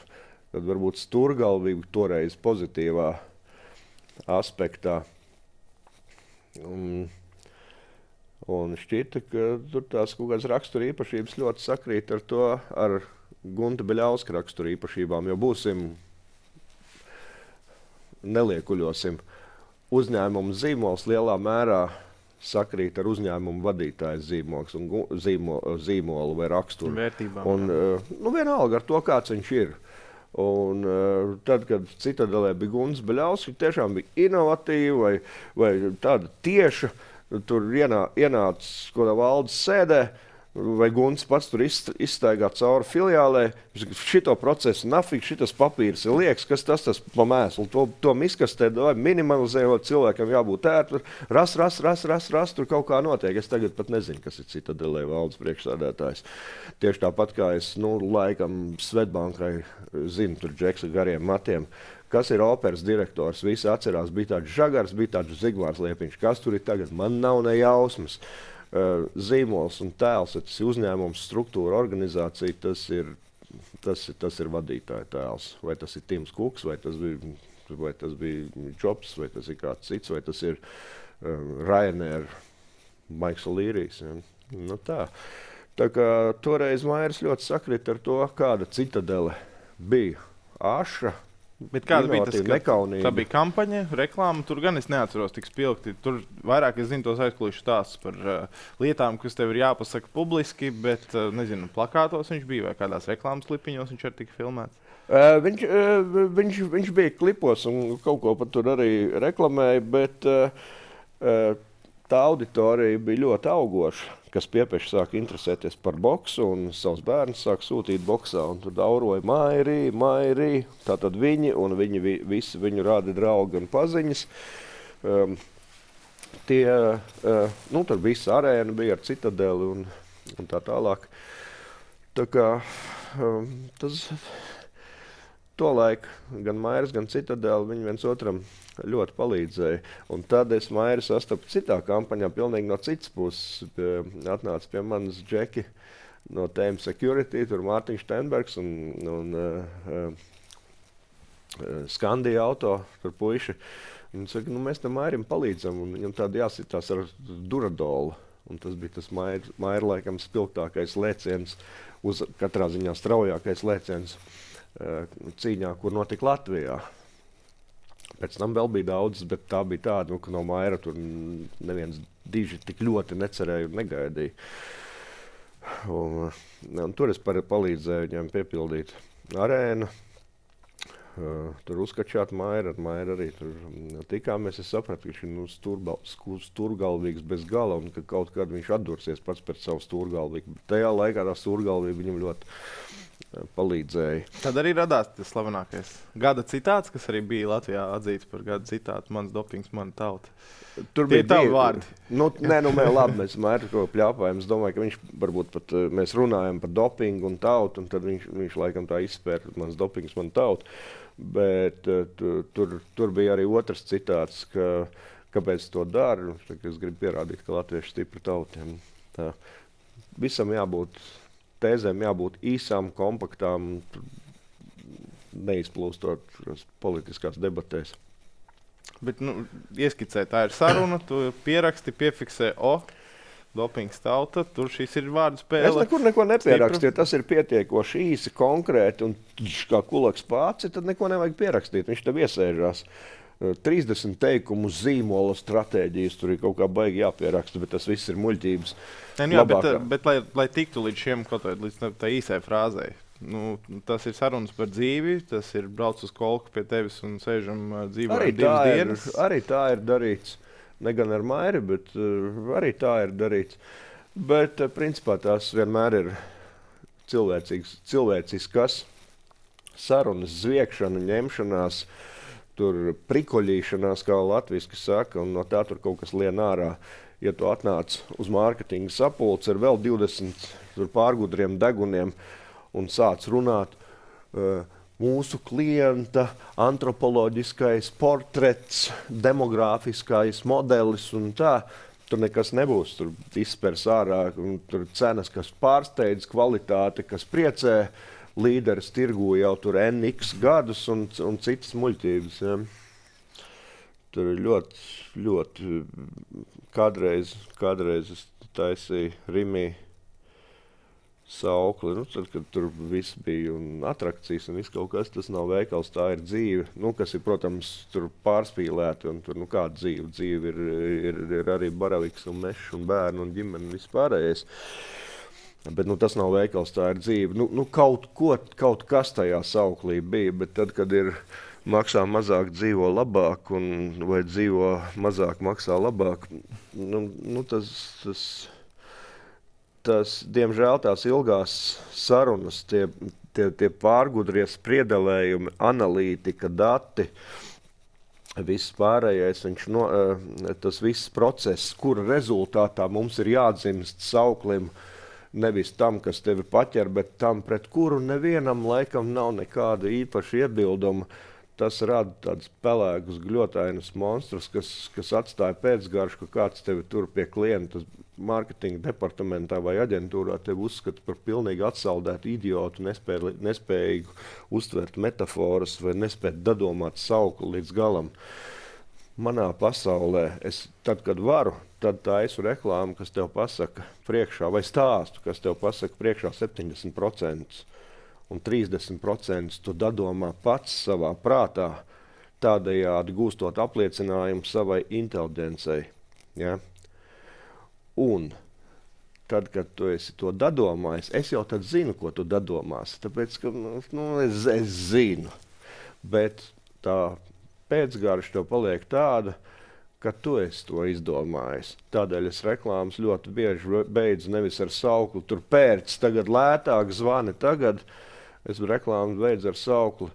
tad varbūt sturgalvību toreiz pozitīvā aspektā. Un, Un šķita, ka tur tās kaut kādas rakstura īpašības ļoti sakrīt ar to, ar Gunta Beļauska rakstura īpašībām, jo būsim, neliekuļosim, uzņēmumu zīmols lielā mērā sakrīt ar uzņēmumu vadītāju zīmols un zīmo, zīmolu vai raksturu. Vērtībām. Un, nu, vienalga ar to, kāds viņš ir. Un, uh, tad, kad Citadelē bija Gunts Beļausks, tiešām bija inovatīva vai, vai tāda tieša. Tur ienā, ienācis kaut kādā valdes sēdē, vai Gunts pats tur izstaigā cauri filiālē. Šito procesu nafik, šitas papīrs ir liekas, kas tas tas pa mēslu. To, to miskastē minimalizējot, cilvēkam jābūt ērti. Ras, ras, ras, ras, ras, tur kaut kā notiek. Es tagad pat nezinu, kas ir Citadelē valdes priekšsēdētājs. Tieši tāpat kā es, nu, laikam Svetbankai zinu, tur Džeks ar gariem matiem. Kas ir operas direktors? Visi atcerās, bija tāds Žagars, bija tāds Zigmārs Liepiņš. Kas tur ir tagad? Man nav ne jausmas. Uh, zīmols un tēls, tas ir uzņēmums, struktūra, organizācija, tas ir, tas, tas ir vadītāja tēls. Vai tas ir Tims Kuks, vai tas bija, vai tas bija Jobs, vai tas ir kāds cits, vai tas ir uh, Ryanair, Maiks Olīrijs. Ja? Nu, tā. Tā kā toreiz Mairis ļoti sakrit ar to, kāda Citadele bija aša. Bet kāda bija tas, ka tā bija kampaņa, reklāma? Tur gan es neatceros tik spilgti. Tur vairāk es zinu tos aizkulisku stāstus par uh, lietām, kas tev ir jāpasaka publiski, bet, uh, nezinu, plakātos viņš bija vai kādās reklāmas klipiņos viņš arī tika filmēts? Uh, viņš, uh, viņš, viņš bija klipos un kaut ko pat tur arī reklamēja, bet uh, uh, tā auditorija bija ļoti augoša, kas piepeši sāka interesēties par boksu un savus bērnus sāka sūtīt boksā. Un tur dauroja Mairī, Mairī, tātad viņi un viņi vi, visi viņu rādi draugi un paziņas. Um, tie, uh, nu, tur visa arēna bija ar Citadeli un, un tā tālāk. Tā kā um, tas tolaik gan Mairis, gan Citadeli, viņi viens otram ļoti palīdzēja. Un tad es Mairu sastapu citā kampaņā, pilnīgi no citas puses. Pie, atnāca pie manas Džeki no T M Security, tur Mārtiņš Stenbergs un, un uh, uh, Skandija auto, tur puiši. Un saka, nu mēs tam Mairim palīdzam, un viņam tādi jāsitās ar Duradolu. Un tas bija tas Maira, Maira laikam spilgtākais lēciens, uz katrā ziņā straujākais lēciens uh, cīņā, kur notika Latvijā. Pēc tam vēl bija daudz, bet tā bija tāda, nu, ka no Maira tur neviens diži tik ļoti necerēja un negaidīja. Un, un tur es palīdzēju viņam piepildīt arēnu. Uh, tur uzskačāt Maira, ar Maira arī tur tikāmies. Es sapratu, ka viņš ir nu, sturba, sturgalvīgs bez gala un ka kaut kad viņš atdursies pats pēc savu sturgalvīgu. Tajā laikā tā sturgalvība viņam ļoti palīdzēja. Tad arī radās tas slavenākais gada citāts, kas arī bija Latvijā atzīts par gada citātu. Mans dopings, mana tauta. Tur Tie bija tavi vārdi. Nu, nē, nu, mēs labi, mēs Mairu ko pļāpājam. Es domāju, ka viņš varbūt pat, mēs runājam par dopingu un tautu, un tad viņš, viņš laikam tā izspēra, mans dopings, mana tauta. Bet tu, tur, tur bija arī otrs citāts, ka, kāpēc to dara. Es gribu pierādīt, ka latvieši stipri tautiem. Tā. Visam jābūt tēzēm jābūt īsām, kompaktām, neizplūstot politiskās debatēs. Bet, nu, ieskicē, tā ir saruna, tu pieraksti, piefiksē, o, dopings tauta, tur šis ir vārdu spēle. Es nekur neko nepierakstīju, tas ir pietiekoši īsi, konkrēti, un kā kulaks pāci, tad neko nevajag pierakstīt, viņš tev iesēžās. trīsdesmit teikumu zīmola stratēģijas, tur ir kaut kā baigi jāpieraksta, bet tas viss ir muļķības. Ne, nu jā, bet, bet lai, lai tiktu līdz šiem, kaut vai līdz tā īsai frāzei, nu, tas ir sarunas par dzīvi, tas ir brauc uz kolku pie tevis un sēžam dzīvojam divas dienas. Ir, arī tā ir darīts. Ne gan ar Mairi, bet uh, arī tā ir darīts. Bet, uh, principā, tās vienmēr ir cilvēciskas sarunas, zviekšana, ņemšanās, tur prikoļīšanās, kā latviski saka, un no tā tur kaut kas lien ārā. Ja tu atnāc uz mārketinga sapulci ar vēl divdesmit tur pārgudriem deguniem un sāc runāt, uh, mūsu klienta antropoloģiskais portrets, demogrāfiskais modelis un tā, tur nekas nebūs. Tur izspers ārā, tur cenas, kas pārsteidz, kvalitāte, kas priecē, līderis tirgu jau tur N X gadus un, un citas muļķības. Ja. Tur ir ļoti, ļoti, kādreiz, kādreiz es taisīju Rimī saukli, nu, tad, kad tur viss bija un atrakcijas un viss kaut kas, tas nav veikals, tā ir dzīve, nu, kas ir, protams, tur pārspīlēti un tur, nu, kāda dzīve, dzīve ir, ir, ir arī baraviks un mešs un bērni un ģimeni un viss pārējais. Bet, nu, tas nav veikals, tā ir dzīve. Nu, nu kaut, ko, kaut kas tajā sauklī bija, bet tad, kad ir maksā mazāk, dzīvo labāk un vai dzīvo mazāk, maksā labāk, nu, nu tas... tas Tas, diemžēl tās ilgās sarunas, tie, tie, tie pārgudrie spriedelējumi, analītika, dati, viss pārējais, viņš no, tas viss process, kura rezultātā mums ir jādzimst sauklim, nevis tam, kas tevi paķer, bet tam, pret kuru nevienam laikam nav nekāda īpaša iebilduma. Tas rada tādus pelēkus, gļotainus monstrus, kas, kas atstāja pēcgaršu, ka kāds tevi tur pie klienta mārketinga departamentā vai aģentūrā tevi uzskata par pilnīgi atsaldētu idiotu, nespēj, nespējīgu uztvert metaforas vai nespēt dadomāt saukli līdz galam. Manā pasaulē, es, tad, kad varu, tad taisu reklāmu, kas tev pasaka priekšā, vai stāstu, kas tev pasaka priekšā septiņdesmit procenti. Un trīsdesmit procenti tu dadomā pats savā prātā, tādējādi gūstot apliecinājumu savai inteliģencei. Ja? Un tad, kad tu esi to dadomājis, es jau tad zinu, ko tu dadomās, tāpēc, ka nu, es, es zinu. Bet tā pēcgarša tev paliek tāda, ka tu esi to izdomājis. Tādēļ es reklāmas ļoti bieži beidzu nevis ar saukli, tur pērc, tagad lētāk, zvani tagad. Es reklāmu beidzu ar saukli.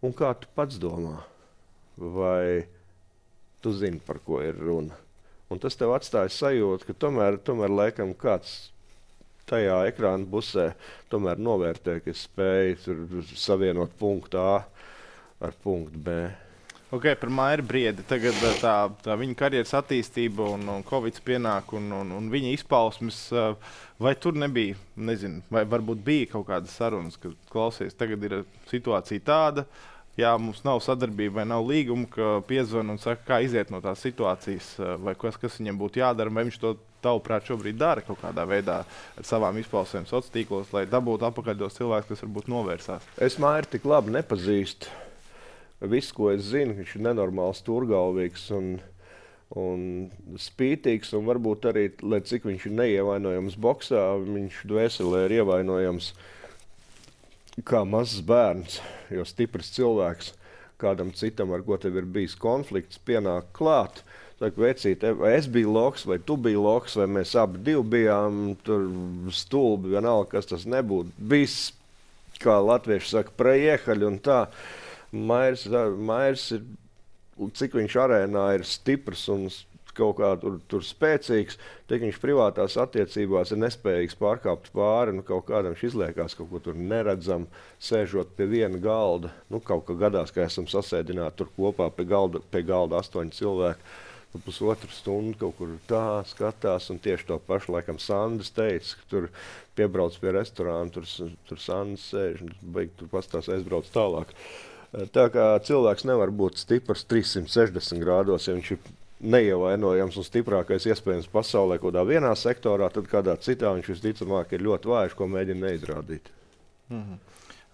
Un kā tu pats domā? Vai tu zini, par ko ir runa? Un tas tev atstāja sajūtu, ka tomēr, tomēr laikam kāds tajā ekrāna pusē tomēr novērtē, ka es spēju savienot punktu A ar punktu B. Ok, par Mairi Briedi. Tagad tā, tā viņa karjeras attīstība un, un Covid pienāk un, un, un viņa izpausmes, vai tur nebija, nezinu, vai varbūt bija kaut kādas sarunas, ka klausies, tagad ir situācija tāda, jā, mums nav sadarbība vai nav līguma, ka piezvana un saka, kā iziet no tās situācijas, vai kas, kas viņam būtu jādara, vai viņš to tavuprāt šobrīd dara kaut kādā veidā ar savām izpausmēm sociālos tīklos, lai dabūtu apakaļ tos cilvēkus, kas varbūt novērsās. Es Mairi tik labi nepazīstu. Viss, ko es zinu, viņš ir nenormāls turgalvīgs un, un spītīgs, un varbūt arī, lai cik viņš ir neievainojams boksā, viņš dvēselē ir ievainojams kā mazs bērns, jo stiprs cilvēks kādam citam, ar ko tev ir bijis konflikts, pienāk klāt. Saka, vecīt, vai es biju loks, vai tu biji loks, vai mēs abi divi bijām tur stulbi, vienalga, kas tas nebūtu. Viss, kā latvieši saka, preiehaļi un tā. Mairs, Mairs ir, cik viņš arēnā ir stiprs un kaut kā tur, tur spēcīgs, tik viņš privātās attiecībās ir nespējīgs pārkāpt pāri, nu kaut kādam viņš izliekās kaut ko tur neredzam, sēžot pie viena galda. Nu, kaut kā gadās, ka esam sasēdināti tur kopā pie galda, pie galda astoņi cilvēki. Nu, pusotru stundu kaut kur tā skatās, un tieši to pašu laikam Sandis teica, ka tur piebrauc pie restorāna, tur, tur Sandis sēž, un beig tur pastās aizbrauc tālāk. Tā kā cilvēks nevar būt stiprs trīssimt sešdesmit grādos, ja viņš ir neievainojams un stiprākais iespējams pasaulē kaut kādā vienā sektorā, tad kādā citā viņš visticamāk ir ļoti vājš, ko mēģina neizrādīt. Mm-hmm.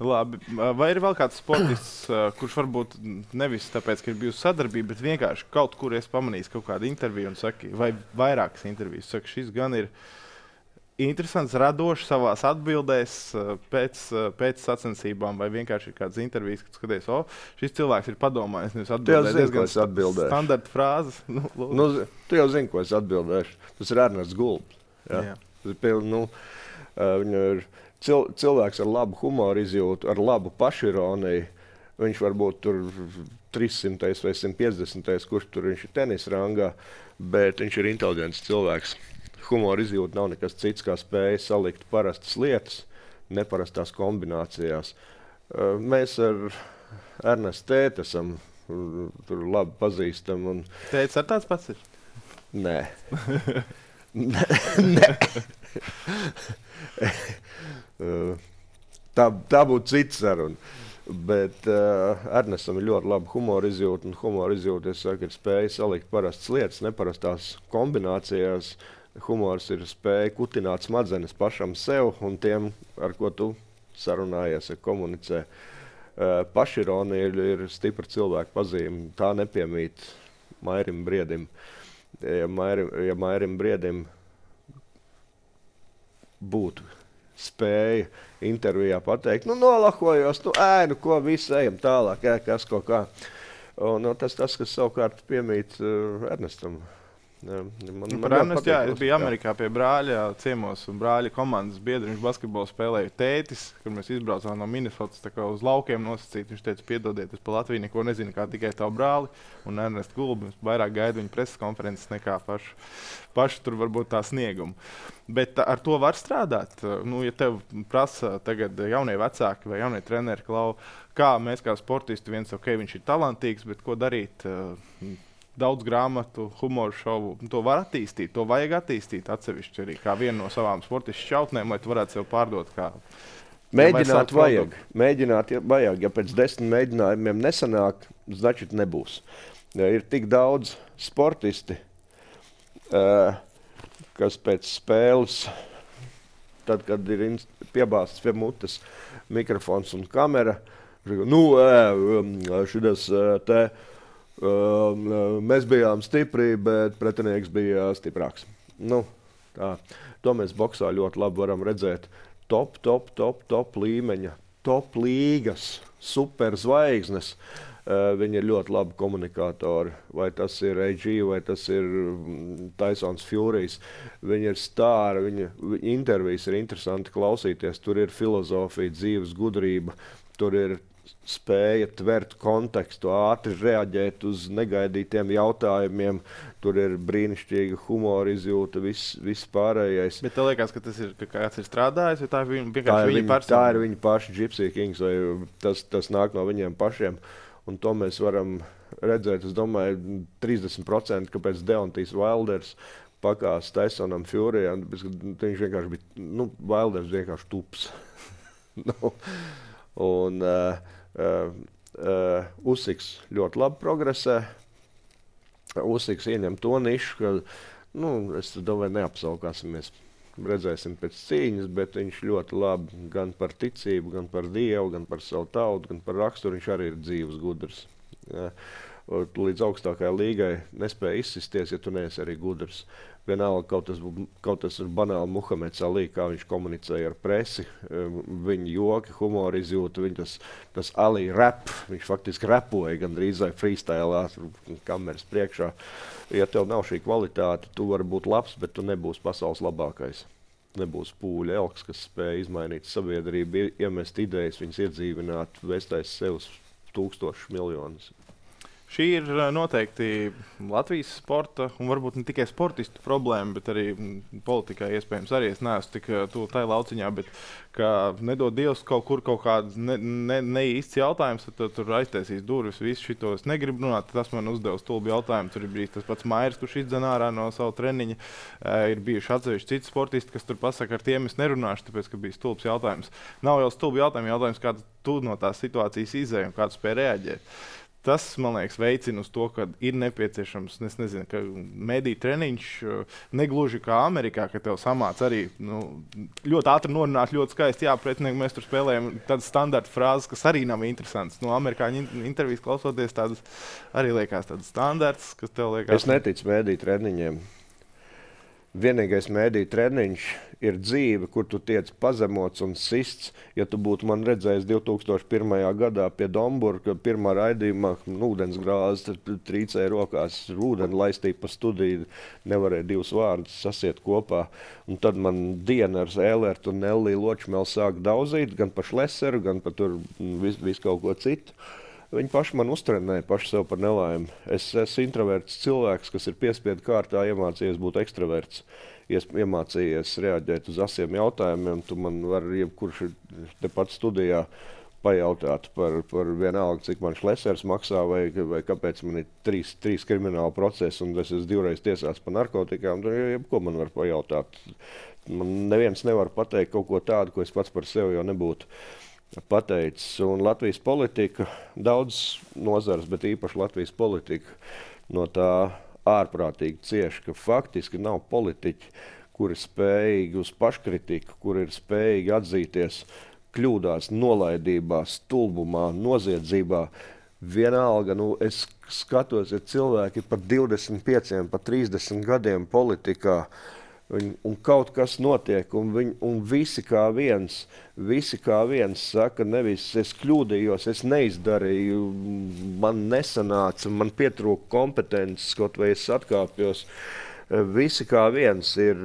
Labi. Vai ir vēl kāds sportists, kurš varbūt nevis tāpēc, ka ir bijusi sadarbība, bet vienkārši kaut kur es pamanīju kaut kādu interviju un saki, vai vairākas intervijas, saka, šis gan ir interesants, radošs savās atbildēs pēc, pēc sacensībām, vai vienkārši ir kādas intervijas, kad skaties, o, šis cilvēks ir padomājis, nevis atbildējis diezgan standarta frāzes. Nu, nu, tu jau zini, ko es atbildēšu. Tas ir Ernests Gulbs. Ja? Jā. Tas ir piln, nu, uh, viņu ir Cil, cilvēks ar labu humoru izjūtu, ar labu pašironiju. Viņš varbūt tur trīssimtais vai simt piecdesmitais, kurš tur viņš ir tenisa rangā, bet viņš ir inteliģents cilvēks. Humoru izjūta nav nekas cits, kā spēja salikt parastas lietas, neparastās kombinācijās. Mēs ar Ernestu tēti esam tur labi pazīstami. Un... Tētis ar tāds pats ir? Nē. Nē. Nē. tā, tā būtu cits saruna. Bet uh, Ernestam ir ļoti laba humora izjūta. Un humora izjūta, es saku, ir spēja salikt parastas lietas, neparastās kombinācijās. Humors ir spēja kutināt smadzenes pašam sev un tiem, ar ko tu sarunājies, ja komunicē. Uh, pašironija ir, ir stipra cilvēka pazīme. Tā nepiemīt Mairim Briedim. Ja Mairim, ja Mairim Briedim būtu spēja intervijā pateikt, nu nolahojos, nu ē, nu ko, visi ejam tālāk, ē, kas kaut kā. Un, nu, tas, tas, kas savukārt piemīt uh, Ernestam. Man, man par Ernestu, jā, es biju Amerikā pie brāļa ciemos, un brāļa komandas biedri, viņš basketbolu spēlēja tētis, kur mēs izbraucām no Minnesotas tā kā uz laukiem nosacīt. Viņš teica, piedodiet, es pa Latviju neko nezinu, kā tikai tavu brāli un Ernestu Gulbi. Vairāk gaidu viņa preses konferences nekā pašu, pašu tur varbūt tā sniegumu. Bet ar to var strādāt. Nu, ja tev prasa tagad jaunie vecāki vai jaunie treneri, Klau, kā mēs kā sportisti, viens, ok, viņš ir talantīgs, bet ko darīt? Daudz grāmatu, humoru šovu, to var attīstīt, to vajag attīstīt atsevišķi arī kā vienu no savām sportistu šķautnēm, lai tu varētu sev pārdot kā... Mēģināt vajag, mēģināt vajag, ja pēc desmit mēģinājumiem nesanāk, značit nebūs. Ja ir tik daudz sportisti, uh, kas pēc spēles, tad, kad ir piebāstas pie mutes mikrofons un kamera, nu, uh, šitas uh, te, Uh, mēs bijām stipri, bet pretinieks bija stiprāks. Nu, tā. To mēs boksā ļoti labi varam redzēt. Top, top, top, top līmeņa, top līgas, super zvaigznes. Uh, viņi ir ļoti labi komunikātori. Vai tas ir A G, vai tas ir Tysons Furijs. Viņi ir stāri, viņa, viņa intervijas ir interesanti klausīties. Tur ir filozofija, dzīves gudrība, tur ir spēja tvert kontekstu, ātri reaģēt uz negaidītiem jautājumiem. Tur ir brīnišķīga humora izjūta, viss, viss pārējais. Bet tev liekas, ka tas ir, ka kāds ir strādājis, vai tā ir viņa, tā ir viņa viņa persona? Tā ir viņa paša Gypsy Kings, vai tas, tas nāk no viņiem pašiem. Un to mēs varam redzēt, es domāju, trīsdesmit procenti, kāpēc Deontijs Wilders pakās Tysonam Furijam. Viņš vienkārši bija, nu, Wilders vienkārši tups. nu, Un uh, uh, uh, Usyks ļoti labi progresē. Usyks ieņem to nišu, ka, nu, es domāju, neapsaukāsimies. Redzēsim pēc cīņas, bet viņš ļoti labi gan par ticību, gan par Dievu, gan par savu tautu, gan par raksturu. Viņš arī ir dzīves gudrs. Ja. Līdz augstākajai līgai nespēja izsisties, ja tu neesi arī gudrs. Vienalga, kaut tas, kaut tas ir banāli Muhameds Ali, kā viņš komunicēja ar presi, viņa joki, humora izjūta, viņa tas, tas Ali rap, viņš faktiski rapoja gandrīz vai freestylā, kameras priekšā. Ja tev nav šī kvalitāte, tu vari būt labs, bet tu nebūsi pasaules labākais. Nebūs Pūļa Elks, kas spēja izmainīt sabiedrību, iemest idejas, viņas iedzīvināt, vēstais sev tūkstošus miljonus. Šī ir noteikti Latvijas sporta, un varbūt ne tikai sportistu problēma, bet arī politikai iespējams arī. Es neesmu tik tuvu tai lauciņā, bet kā nedod Dievs kaut kur kaut kāds ne, ne, neīsts jautājums, tad tur aiztaisīs durvis, visu šito es negribu runāt. Tas man uzdeva stulbi jautājumu. Tur ir bijis tas pats Mairis, kurš izdzen ārā no savu treniņa. Ir bijuši atsevišķi citi sportisti, kas tur pasaka, ar tiem es nerunāšu, tāpēc, ka bija stulbs jautājums. Nav jau stulbi jautājumi, jautājums, kā tu no tās situācijas izēji un kā tu spēj reaģēt. tas, man liekas, veicina uz to, ka ir nepieciešams, es nezinu, ka mediju treniņš negluži kā Amerikā, ka tev samāc arī nu, ļoti ātri norunāt, ļoti skaisti, jā, pretinieki mēs tur spēlējam tādas standarta frāzes, kas arī nav interesantas. No amerikāņu intervijas klausoties tādas arī liekas tādas standarts, kas tev liekas. Es neticu mediju treniņiem. Vienīgais mediju treniņš ir dzīve, kur tu tiec pazemots un sists. Ja tu būtu man redzējis divi tūkstoši pirmajā gadā pie Domburga, pirmā raidījumā, nu, ūdens grāzes, trīcēja rokās, ūdeni laistīja pa studiju, nevarēja divus vārdus sasiet kopā. Un tad man diena ar Ēlertu un Nelliju Ločmeli sāk daudzīt, gan pa Šleseru, gan pa tur vis, vis kaut ko citu. Viņi paši man uztrenēja, paši sev par nelaimi. Es esmu introverts cilvēks, kas ir piespiedu kārtā iemācījies būt ekstraverts. Es iemācījies reaģēt uz asiem jautājumiem. Tu man vari jebkurš tepat studijā pajautāt par, par vienalga, cik man Šlesers maksā vai, vai kāpēc man ir trīs, trīs krimināla procesi un es esmu divreiz tiesāts par narkotikām. Jebko man var pajautāt. Man neviens nevar pateikt kaut ko tādu, ko es pats par sevi jau nebūtu pateicis. Un Latvijas politika, daudz nozars, bet īpaši Latvijas politika no tā ārprātīgi cieši, ka faktiski nav politiķi, kuri spējīgi uz paškritiku, kuri ir spējīgi atzīties kļūdās, nolaidībā, stulbumā, noziedzībā. Vienalga, nu, es skatos, ja cilvēki par divdesmit pieciem, par trīsdesmit gadiem politikā, Un, un kaut kas notiek, un, viņ, un visi kā viens, visi kā viens saka, nevis es kļūdījos, es neizdarīju, man nesanāca, man pietrūka kompetences, kaut vai es atkāpjos. Visi kā viens ir,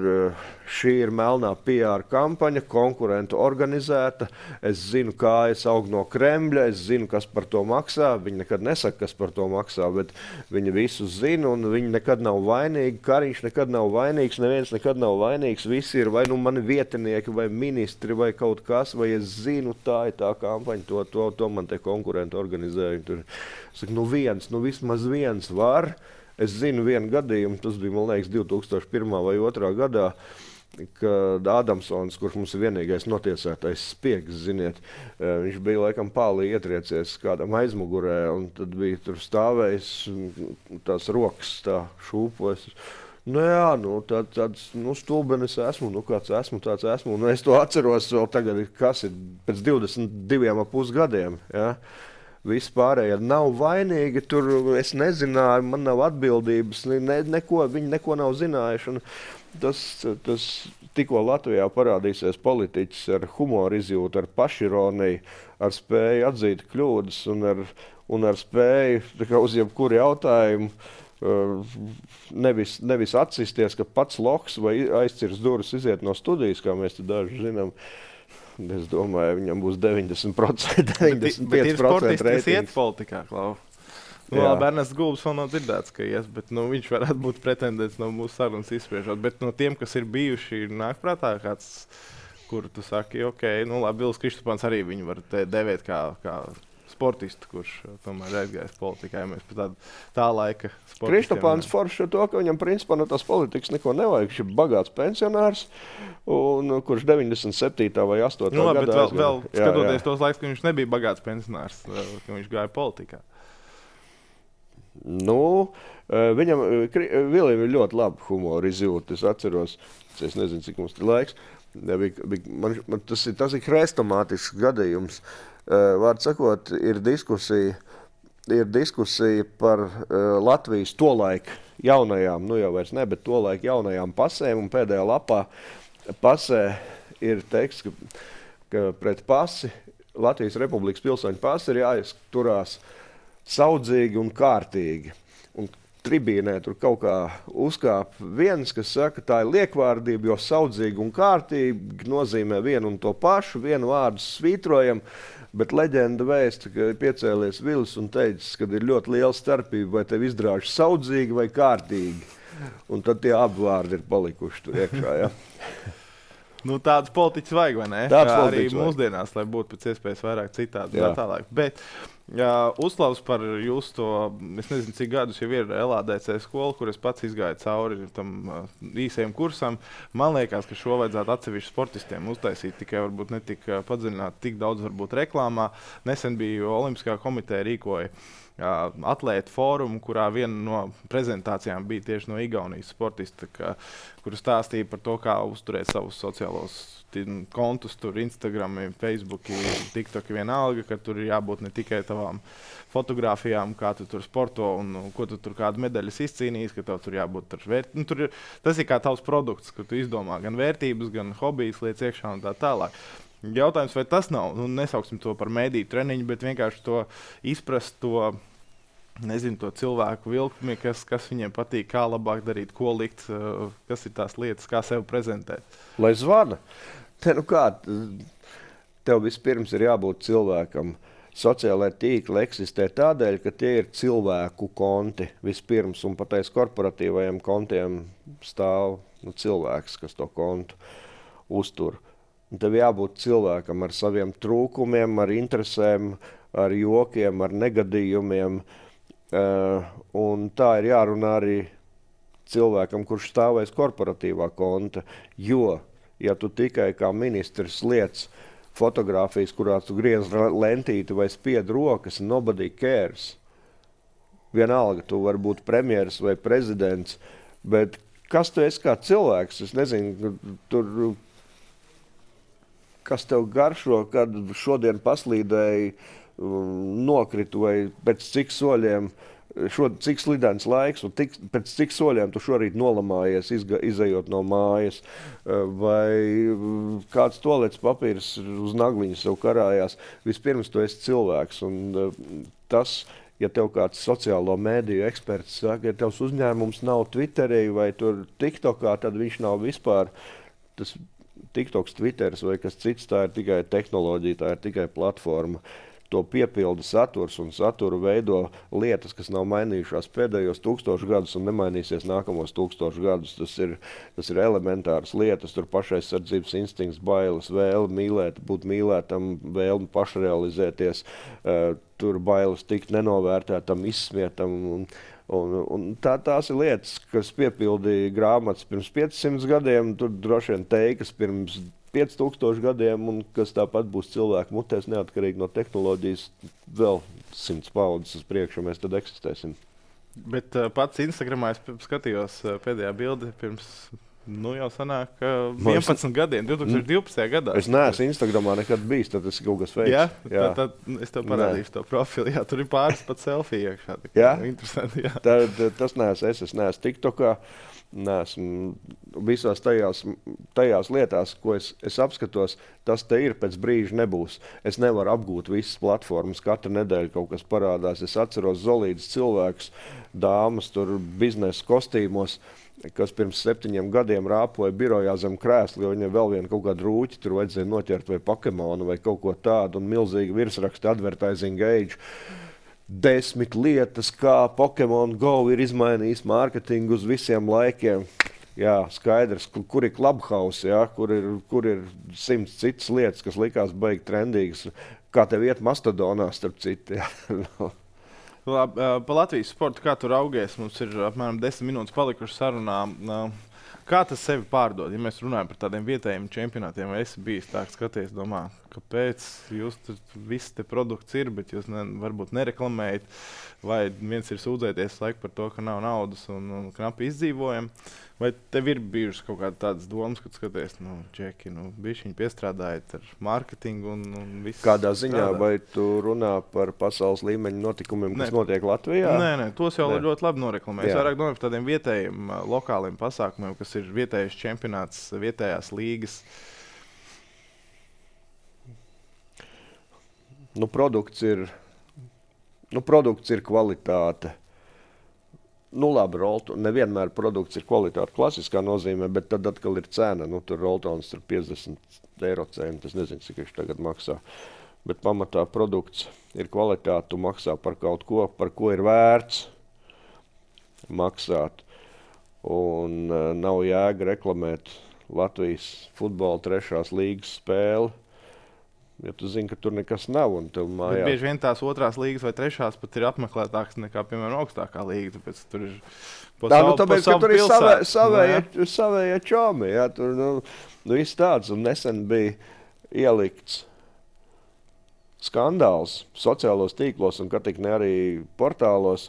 šī ir melnā P R kampaņa, konkurentu organizēta. Es zinu, kā es aug no Kremļa, es zinu, kas par to maksā. Viņi nekad nesaka, kas par to maksā, bet viņi visu zina un viņi nekad nav vainīgi. Kariņš nekad nav vainīgs, neviens nekad nav vainīgs. Visi ir vai nu mani vietinieki, vai ministri, vai kaut kas, vai es zinu, tā ir tā kampaņa, to, to, to man te konkurentu organizēja. Tur, saku, nu viens, nu vismaz viens var. Es zinu vienu gadījumu, tas bija, man liekas, divi tūkstoši pirmā vai otrā gadā, kad Ādamsons, kurš mums ir vienīgais notiesātais spiegs, ziniet, viņš bija laikam pālī ietriecies kādam aizmugurē, un tad bija tur stāvējis tās rokas tā šūpojas. Nu jā, nu tā, tāds nu, stulbenis esmu, nu kāds esmu, tāds esmu. Un es to atceros vēl tagad, kas ir pēc divdesmit diviem ap pus gadiem, ja? Visi pārējie nav vainīgi, tur es nezināju, man nav atbildības, ne, neko, viņi neko nav zinājuši. Un tas, tas tikko Latvijā parādīsies politiķis ar humoru izjūtu, ar pašironiju, ar spēju atzīt kļūdas un ar, un ar spēju kā, uz jebkuru jautājumu nevis, nevis atsisties, ka pats loks vai aizcirs durvis iziet no studijas, kā mēs te daži zinām. Es domāju, viņam būs deviņdesmit procenti, deviņdesmit pieci procenti reitings. Bet ir sportisti, kas iet politikā, Klau. Nu, labi, Ernests Gulbis vēl nav dzirdēts, ka ies, bet nu, viņš varētu būt pretendents no mūsu sarunas izspriežot. Bet no tiem, kas ir bijuši, nāk prātā kāds, kur tu saki, ok, nu labi, Vils Kristopāns arī viņu var te devēt kā, kā sportistu, kurš tomēr aizgājis politikā, ja mēs pēc tāda tā laika sportistiem. Kristopāns forši ar to, ka viņam principā no tās politikas neko nevajag. Viņš ir bagāts pensionārs, un, kurš deviņdesmit septītā vai astotā nu, labi, gadā vēl, vēl jā, skatoties jā. tos laikus, ka viņš nebija bagāts pensionārs, ka viņš gāja politikā. Nu, viņam, Vilim ir ļoti laba humora izjūta. Es atceros, es nezinu, cik mums ir laiks. Bija, bija, man, man, tas ir, tas ir hrestomātisks gadījums. Vārds sakot, ir diskusija, ir diskusija par uh, Latvijas tolaik jaunajām, nu jau vairs ne, bet tolaik jaunajām pasēm, un pēdējā lapā pasē ir teksts, ka, ka pret pasi, Latvijas Republikas pilsoņu pasi ir jāizturās saudzīgi un kārtīgi. Un tribīnē tur kaut kā uzkāp viens, kas saka, tā ir liekvārdība, jo saudzīgi un kārtīgi nozīmē vienu un to pašu, vienu vārdu svītrojam, bet leģenda vēsta, ka ir piecēlies Vilis un teicis, ka ir ļoti liela starpība, vai tev izdrāž saudzīgi vai kārtīgi. Un tad tie abi vārdi ir palikuši tur iekšā, ja? Nu, tāds politiķis vajag, vai ne? Tāds arī politiķis mūsdienās, lai būtu pēc iespējas vairāk citādi. Bet Jā, uzslavs par jūsu to, es nezinu, cik gadus jau ir L A D C skola, kur es pats izgāju cauri tam uh, īsajam kursam. Man liekas, ka šo vajadzētu atsevišķi sportistiem uztaisīt, tikai varbūt ne tik uh, padziļināt, tik daudz varbūt reklāmā. Nesen bija Olimpiskā komiteja rīkoja uh, atlētu fórumu, kurā viena no prezentācijām bija tieši no Igaunijas sportista, ka, kur stāstīja par to, kā uzturēt savus sociālos kontus, tur Instagram, Facebook, TikTok, vienalga, ka tur ir jābūt ne tikai tavām fotogrāfijām, kā tu tur sporto un, un ko tu tur kādu medaļas izcīnījis, ka tev tur jābūt tur vērt. Nu, tur ir, tas ir kā tavs produkts, ka tu izdomā gan vērtības, gan hobijas lietas iekšā un tā tālāk. Jautājums, vai tas nav, nu, nesauksim to par mēdīju treniņu, bet vienkārši to izprast, to, nezinu, to cilvēku vilkmi, kas, kas viņiem patīk, kā labāk darīt, ko likt, kas ir tās lietas, kā sev prezentēt. Lai zvana. Te, nu kā, tev vispirms ir jābūt cilvēkam. Sociālai tīkli eksistē tādēļ, ka tie ir cilvēku konti vispirms, un pat aiz korporatīvajiem kontiem stāv nu, cilvēks, kas to kontu uztur. Un tev jābūt cilvēkam ar saviem trūkumiem, ar interesēm, ar jokiem, ar negadījumiem. Uh, un tā ir jārunā arī cilvēkam, kurš stāv aiz korporatīvā konta, jo, ja tu tikai kā ministrs liec fotogrāfijas, kurā tu griez lentīti vai spied rokas, nobody cares. Vienalga, tu vari būt premjeras vai prezidents, bet kas tu esi kā cilvēks? Es nezinu, tur, kas tev garšo, kad šodien paslīdēji, nokritu vai pēc cik soļiem, šo, cik slidens laiks un tik, pēc cik soļiem tu šorīt nolamājies, izga, izejot no mājas, vai kāds tolets papīrs uz nagliņas sev karājās. Vispirms tu esi cilvēks, un tas, ja tev kāds sociālo mēdīju eksperts saka, ja tevs uzņēmums nav Twitterī vai tur TikTokā, tad viņš nav vispār tas TikToks, Twitteris vai kas cits, tā ir tikai tehnoloģija, tā ir tikai platforma. To piepilda saturs un saturu veido lietas, kas nav mainījušās pēdējos tūkstošu gadus un nemainīsies nākamos tūkstošu gadus. Tas ir, tas ir elementāras lietas, tur pašaizsardzības instinkts, bailes, vēle mīlēt, būt mīlētam, vēlme pašrealizēties, uh, tur bailes tikt nenovērtētam, izsmietam. Un, un, un tā, tās ir lietas, kas piepildīja grāmatas pirms piecsimt gadiem, tur droši vien teikas pirms pieci tūkstoši gadiem, un kas tāpat būs cilvēku mutēs, neatkarīgi no tehnoloģijas, vēl simts paudzes uz priekšu, mēs tad eksistēsim. Bet uh, pats Instagramā es skatījos uh, pēdējā bildi pirms, nu jau sanāk, uh, vienpadsmit gadiem, divi tūkstoši divpadsmitajā gadā. Es neesmu Instagramā nekad bijis, tad tas ir kaut kas fakes. Jā, jā. Tad, tad es tev parādīšu Nē. to profilu. Jā, tur ir pāris pat selfiju iekšā. Jā? Interesanti, jā. Tad, tas neesmu es, es neesmu TikTokā. Neesmu visās tajās, tajās lietās, ko es, es apskatos, tas te ir, pēc brīža nebūs. Es nevaru apgūt visas platformas, katru nedēļu kaut kas parādās. Es atceros zolīdus cilvēkus, dāmas tur biznesa kostīmos, kas pirms septiņiem gadiem rāpoja birojā zem krēsla, jo viņiem vēl viena kaut kāda rūķi, tur vajadzēja noķert vai Pokemonu vai kaut ko tādu, un milzīgi virsraksti advertising age. Desmit lietas, kā Pokemon Go ir izmainījis mārketingu uz visiem laikiem. Jā, skaidrs, kur ir Clubhouse, jā, kur ir, kur ir simts citas lietas, kas likās baigi trendīgas. Kā tev iet Mastodonā, starp citu. Labi, pa Latvijas sportu, kā tu raugies? Mums ir apmēram desmit minūtes palikuši sarunā. Kā tas sevi pārdod? Ja mēs runājam par tādiem vietējiem čempionātiem, vai esi bijis tā, ka skaties, domā, kāpēc jūs tur viss te produkts ir, bet jūs ne, varbūt nereklamējat, vai viens ir sūdzēties laiku par to, ka nav naudas un, un knapi izdzīvojam, vai tev ir bijušas kaut kādas tādas domas, kad skaties, nu, Džeki, nu, bišķiņi piestrādājat ar mārketingu un, un viss. Kādā ziņā, strādā? vai tu runā par pasaules līmeņa notikumiem, kas Nē. notiek Latvijā? Nē, nē, tos jau Nē. ļoti labi noreklamē. Es Jā. vairāk domāju par tādiem vietējiem, lokāliem pasākumiem, kas ir vietējais čempionāts, vietējās līgas. Nu, produkts ir, nu, produkts ir kvalitāte. Nu, labi, Rolton, nevienmēr produkts ir kvalitāte klasiskā nozīmē, bet tad atkal ir cena. Nu, tur Roltons ir piecdesmit eiro cena, tas nezinu, cik viņš tagad maksā. Bet pamatā produkts ir kvalitāte, tu maksā par kaut ko, par ko ir vērts maksāt. Un uh, nav jēga reklamēt Latvijas futbola trešās līgas spēli Ja tu zini, ka tur nekas nav un tev mājās. Bet bieži vien tās otrās līgas vai trešās pat ir apmeklētākas nekā, piemēram, augstākā līga. Tāpēc tur ir pa Tā, savu, nu, tāpēc, pa ka tur ir pilsētu. savē, savējie, Nu, savējie čomi, jā, tur, nu, nu, viss tāds, un nesen bija ielikts skandāls sociālos tīklos un, kā tik ne arī portālos,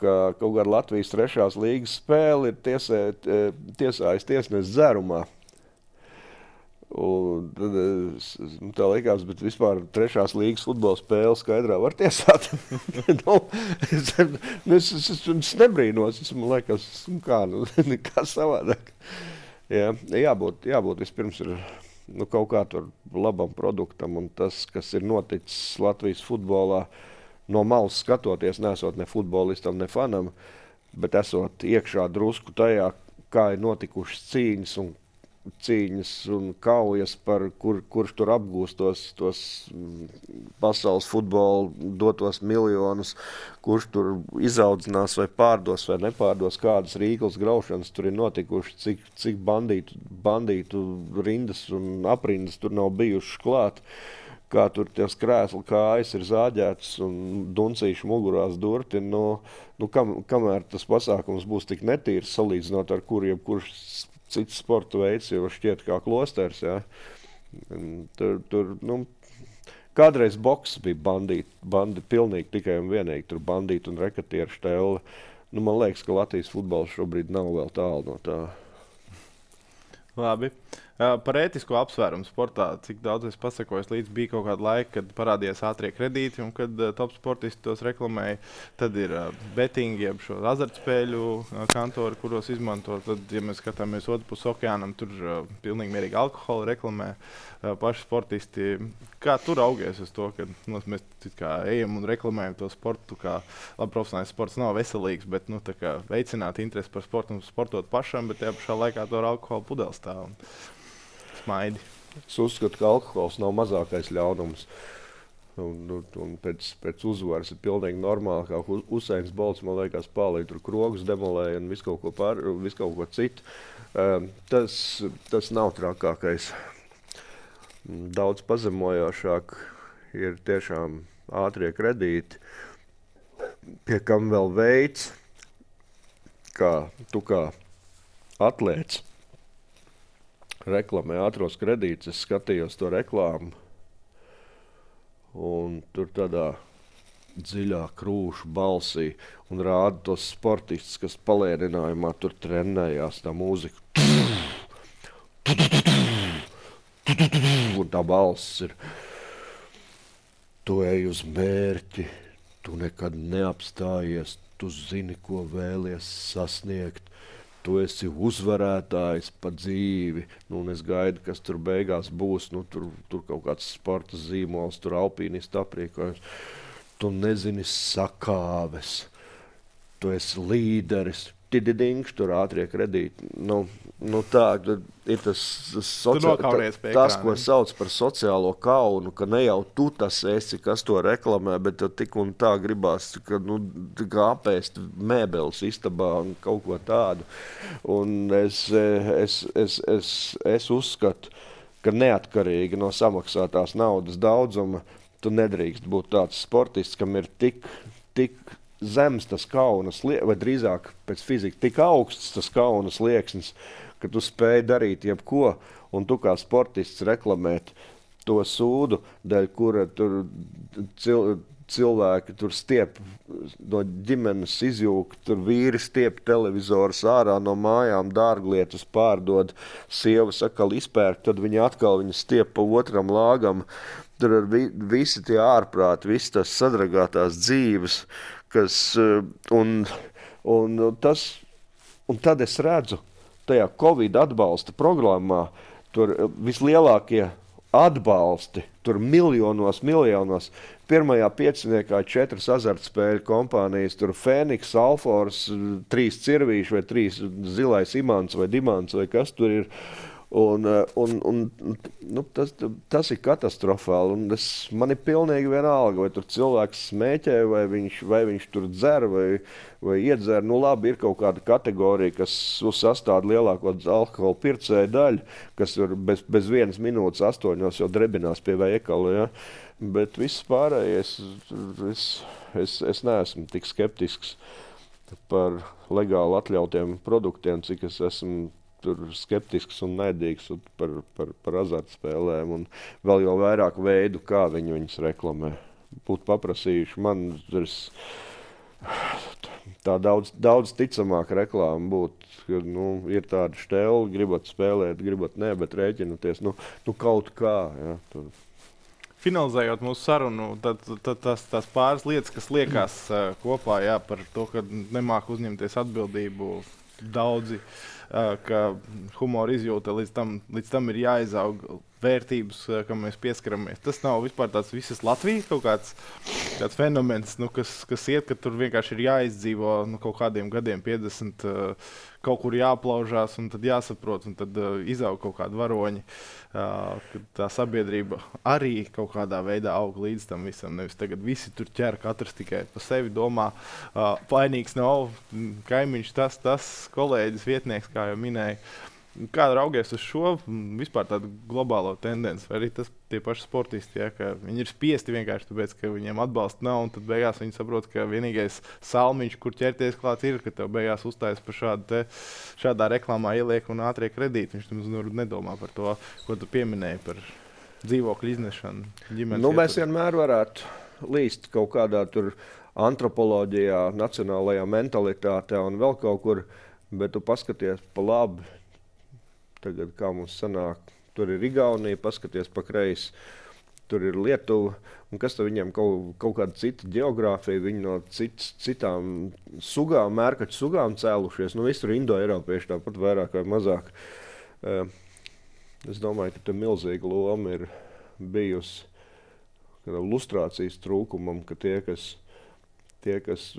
ka kaut kāda Latvijas trešās līgas spēle ir tiesē, tiesājas tiesnes dzērumā. Un tad tā likās, bet vispār trešās līgas futbola spēle skaidrā var tiesāt. nu, es, es, es, es, es nebrīnos, es man liekas, kā, nu, kā savādāk. Jā, jābūt, jābūt vispirms ir nu, kaut kā tur labam produktam, un tas, kas ir noticis Latvijas futbolā, no malas skatoties, nesot ne futbolistam, ne fanam, bet esot iekšā drusku tajā, kā ir notikušas cīņas un cīņas un kaujas, par kur, kurš tur apgūst tos, tos pasaules futbolu dotos miljonus, kurš tur izaudzinās vai pārdos vai nepārdos, kādas rīklas graušanas tur ir notikuši, cik, cik bandītu, bandītu rindas un aprindas tur nav bijušas klāt, kā tur ties krēsli kājas ir zāģētas un duncīši mugurās durti. Nu, nu kam, kamēr tas pasākums būs tik netīrs, salīdzinot ar kur jebkurš cits sporta veids jau šķiet kā klosters, jā. Tur, tur, nu, kādreiz boks bija bandīti, bandi, pilnīgi tikai un vienīgi, tur bandīti un rekatieru štēle. Nu, man liekas, ka Latvijas futbols šobrīd nav vēl tālu no tā. Labi. Uh, par ētisko apsvērumu sportā, cik daudz es pasakojos līdz bija kaut kāda laika, kad parādījās ātrie kredīti un kad uh, top sportisti tos reklamēja. Tad ir uh, bettingi, jeb šo azartspēļu uh, kantori, kuros izmanto. Tad, ja mēs skatāmies otru pusi okeānam, tur uh, pilnīgi mierīgi alkoholu reklamē uh, paši sportisti. Kā tur augies uz to, ka nu, mēs kā ejam un reklamējam to sportu, kā labi profesionāls sports nav veselīgs, bet nu, tā kā veicināt interesi par sportu un sportot pašam, bet tajā pašā laikā to ar alkoholu pudeli stāv. Un smaidi. Es uzskatu, ka alkohols nav mazākais ļaunums. Un, un, un pēc, pēc uzvaras ir pilnīgi normāli, kā Usains Bolts, man liekas, pālīgi tur krogus demolēja un visu kaut ko, pār, visu kaut ko citu. Um, tas, tas nav trakākais. Daudz pazemojošāk ir tiešām ātrie kredīti, pie kam vēl veids, kā tu kā atlēts reklamē ātros kredītus. Es skatījos to reklāmu, un tur tādā dziļā krūšu balsī un rāda tos sportistus, kas palēninājumā tur trenējās tā mūzika. Un tā balss ir: tu ej uz mērķi, tu nekad neapstājies, tu zini, ko vēlies sasniegt. Tu esi uzvarētājs pa dzīvi, nu, un es gaidu, kas tur beigās būs, nu, tur, tur kaut kāds sporta zīmols, tur alpīnistu aprīkojums. Tu nezini sakāves, tu esi līderis, tididings, tur ātrie kredīti. Nu, nu tā, ir tas, tas, socia... ta, tas, ko sauc par sociālo kaunu, ka ne jau tu tas esi, kas to reklamē, bet tik un tā gribās, ka, nu, apēst mēbeles istabā un kaut ko tādu. Un es, es, es, es, es uzskatu, ka neatkarīgi no samaksātās naudas daudzuma, tu nedrīkst būt tāds sportists, kam ir tik, tik zems tas kaunas, vai drīzāk pēc fizika tik augsts tas kaunas lieksnis, ka tu spēj darīt jebko, un tu kā sportists reklamēt to sūdu, dēļ kura tur cil, cilvēki tur stiep no ģimenes izjūka, tur vīri stiep televizors ārā no mājām, dārglietas pārdod, sieva sakal izpērk, tad viņi atkal viņu stiep pa otram lāgam. Tur ir vi, visi tie ārprāti, visi tās sadragātās dzīves, kas, un, un, tas, un tad es redzu, tajā Covid atbalsta programmā, tur vislielākie atbalsti, tur miljonos, miljonos. Pirmajā pieciniekā četras azartspēļu kompānijas, tur Fēniks, Alfors, trīs cirvīši vai trīs zilais imants vai dimants vai kas tur ir. Un, un, un, nu, tas, tas ir katastrofāli. Un es, man ir pilnīgi vienalga, vai tur cilvēks smēķē, vai viņš, vai viņš tur dzer, vai, vai iedzer. Nu, labi, ir kaut kāda kategorija, kas sastāv lielāko alkohola pircēju daļu, kas ir bez, bez vienas minūtes astoņos jau drebinās pie veikala. Ja? Bet viss pārējais, es, es, es neesmu tik skeptisks par legāli atļautiem produktiem, cik es esmu tur skeptisks un naidīgs par, par, par azartspēlēm un vēl jau vairāk veidu, kā viņi viņus reklamē. Būtu paprasījuši man, tā daudz, daudz ticamāk reklāma būtu, ka nu, ir tāda štēle, gribat spēlēt, gribat nē, bet rēķinoties, nu, nu kaut kā. Ja, tur. Finalizējot mūsu sarunu, tad, tad tas, tas pāris lietas, kas liekas uh, kopā, jā, par to, ka nemāk uzņemties atbildību daudzi, uh, ka humora izjūta līdz tam, līdz tam ir jāizaug vērtības, uh, kam mēs pieskaramies. Tas nav vispār tāds visas Latvijas kaut kāds, kāds fenomens, nu, kas, kas iet, ka tur vienkārši ir jāizdzīvo nu, kaut kādiem gadiem piecdesmit, uh, kaut kur jāplaužās un tad jāsaprot, un tad uh, izaug kaut kādi varoņi. Uh, tā sabiedrība arī kaut kādā veidā aug līdz tam visam. Nevis tagad visi tur ķer, katrs tikai pa sevi domā. Uh, vainīgs nav kaimiņš, tas, tas kolēģis, vietnieks, kā jau minēja. Kā raugies uz šo vispār tādu globālo tendenci? Vai arī tas tie paši sportisti, ja, ka viņi ir spiesti vienkārši tāpēc, ka viņiem atbalsta nav, un tad beigās viņi saprot, ka vienīgais salmiņš, kur ķerties klāt ir, ka tev beigās uzstājas par šādu te, šādā reklāmā ieliek un ātrie kredīti. Viņš tam nedomā par to, ko tu pieminēji par dzīvokļu iznešanu. Nu, mēs vienmēr varētu līst kaut kādā tur antropoloģijā, nacionālajā mentalitātē un vēl kaut kur, bet tu paskaties pa labi. Tagad, kā mums sanāk, tur ir Igaunija, paskaties pa kreisi, tur ir Lietuva, un kas tad viņiem kaut, kaut kāda cita geogrāfija, viņi no cits, citām sugām, mērkaču sugām cēlušies, nu visur indo-eiropieši tāpat vairāk vai mazāk. Es domāju, ka te milzīga loma ir bijusi lustrācijas trūkumam, ka tie, kas, tie, kas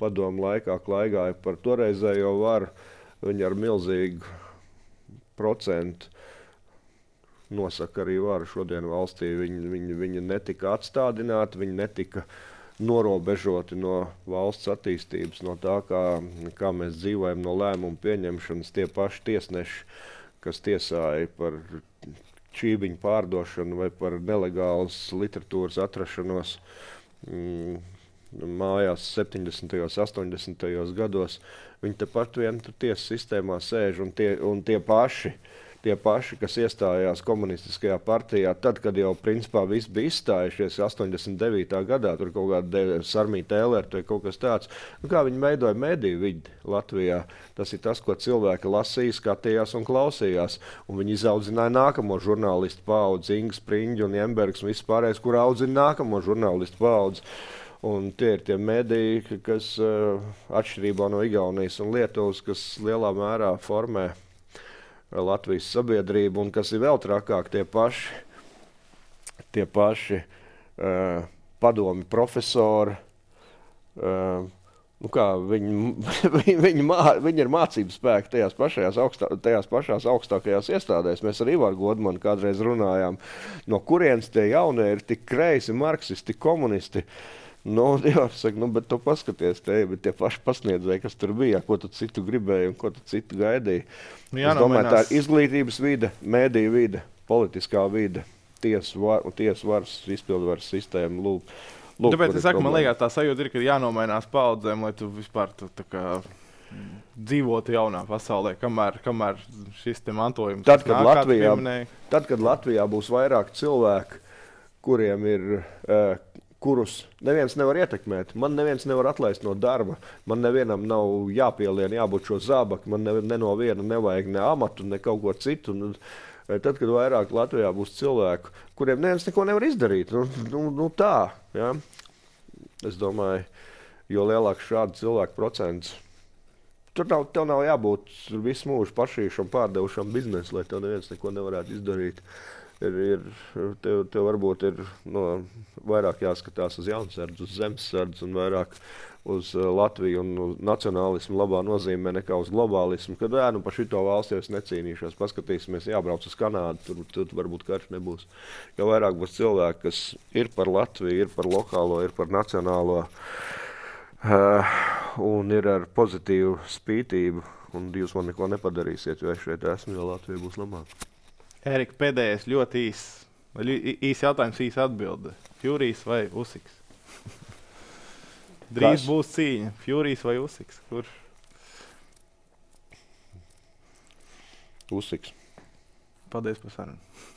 padomu laikā klaigāja par toreizējo varu, viņi ar milzīgu procentu nosaka arī varu šodien valstī. Viņi, viņi, viņi netika atstādināti, viņi netika norobežoti no valsts attīstības, no tā, kā, kā mēs dzīvojam, no lēmumu pieņemšanas. Tie paši tiesneši, kas tiesāja par čībiņu pārdošanu vai par nelegālas literatūras atrašanos mm, mājās septiņdesmitajos, astoņdesmitajos gados, viņi tepat vien tiesas sistēmā sēž un tie, un tie paši, tie paši, kas iestājās komunistiskajā partijā, tad, kad jau principā viss bija izstājušies astoņdesmit devītā gadā, tur kaut kāda Sarmīta Ēlerta vai kaut kas tāds, nu, kā viņi veidoja mediju vidi Latvijā. Tas ir tas, ko cilvēki lasīja, skatījās un klausījās, un viņi izaudzināja nākamo žurnālistu paudzi, Inga Spriņģa un Jembergs un viss pārējais, kur audzina nākamo žurnālistu paudzi. Un tie ir tie mediji, kas uh, atšķirībā no Igaunijas un Lietuvas, kas lielā mērā formē Latvijas sabiedrību un kas ir vēl trakāk, tie paši, tie paši uh, padomi profesori. Uh, nu kā, viņi, viņi, mā, viņi ir mācību spēki tajās, pašajās augstā, tajās pašās augstākajās iestādēs. Mēs ar Ivaru Godmanu kādreiz runājām, no kurienes tie jaunie ir tik kreisi, marksisti, komunisti. Nu, jā, saka, nu, bet tu paskaties te, bet tie paši pasniedzēji, kas tur bija, ko tu citu gribēji un ko tu citu gaidīji. Nu, es domāju, tā ir izglītības vide, mēdīju vide, politiskā vide, tiesu var, tiesu varas, izpildvaras sistēma. Lūk, lūk, tāpēc es saku, man liekas, tā sajūta ir, ka jānomainās paudzēm, lai tu vispār tu, tā kā dzīvotu jaunā pasaulē, kamēr, kamēr šis te mantojums. Tad, kad Latvijā, tad, kad Latvijā būs vairāk cilvēku, kuriem ir... Uh, kurus neviens nevar ietekmēt. Man neviens nevar atlaist no darba. Man nevienam nav jāpielien, jābūt šo zābaki. Man ne, ne no viena nevajag ne amatu, ne kaut ko citu. Un, tad, kad vairāk Latvijā būs cilvēku, kuriem neviens neko nevar izdarīt. Nu, nu, nu tā, ja? Es domāju, jo lielāks šādu cilvēku procents. Tur nav, tev nav jābūt visu mūžu pašīšam, pārdevušam biznesu, lai tev neviens neko nevarētu izdarīt. ir, ir, tev, tev varbūt ir no, vairāk jāskatās uz jaunsardzi, uz zemesardzi un vairāk uz uh, Latviju un uz nacionālismu labā nozīmē nekā uz globālismu. Kad jā, nu par šito valsti jau es necīnīšos, paskatīsimies, jābrauc uz Kanādu, tur, tur varbūt karš nebūs. Jo vairāk būs cilvēki, kas ir par Latviju, ir par lokālo, ir par nacionālo uh, un ir ar pozitīvu spītību. Un jūs man neko nepadarīsiet, jo es šeit esmu, jo Latvija būs labāka. Erika, pēdējais ļoti īs, īs jautājums, īs atbilde. Furijs vai Usiks? Drīz Kas? Būs cīņa. Furijs vai Usiks? Kurš? Usiks. Paldies par sarunu.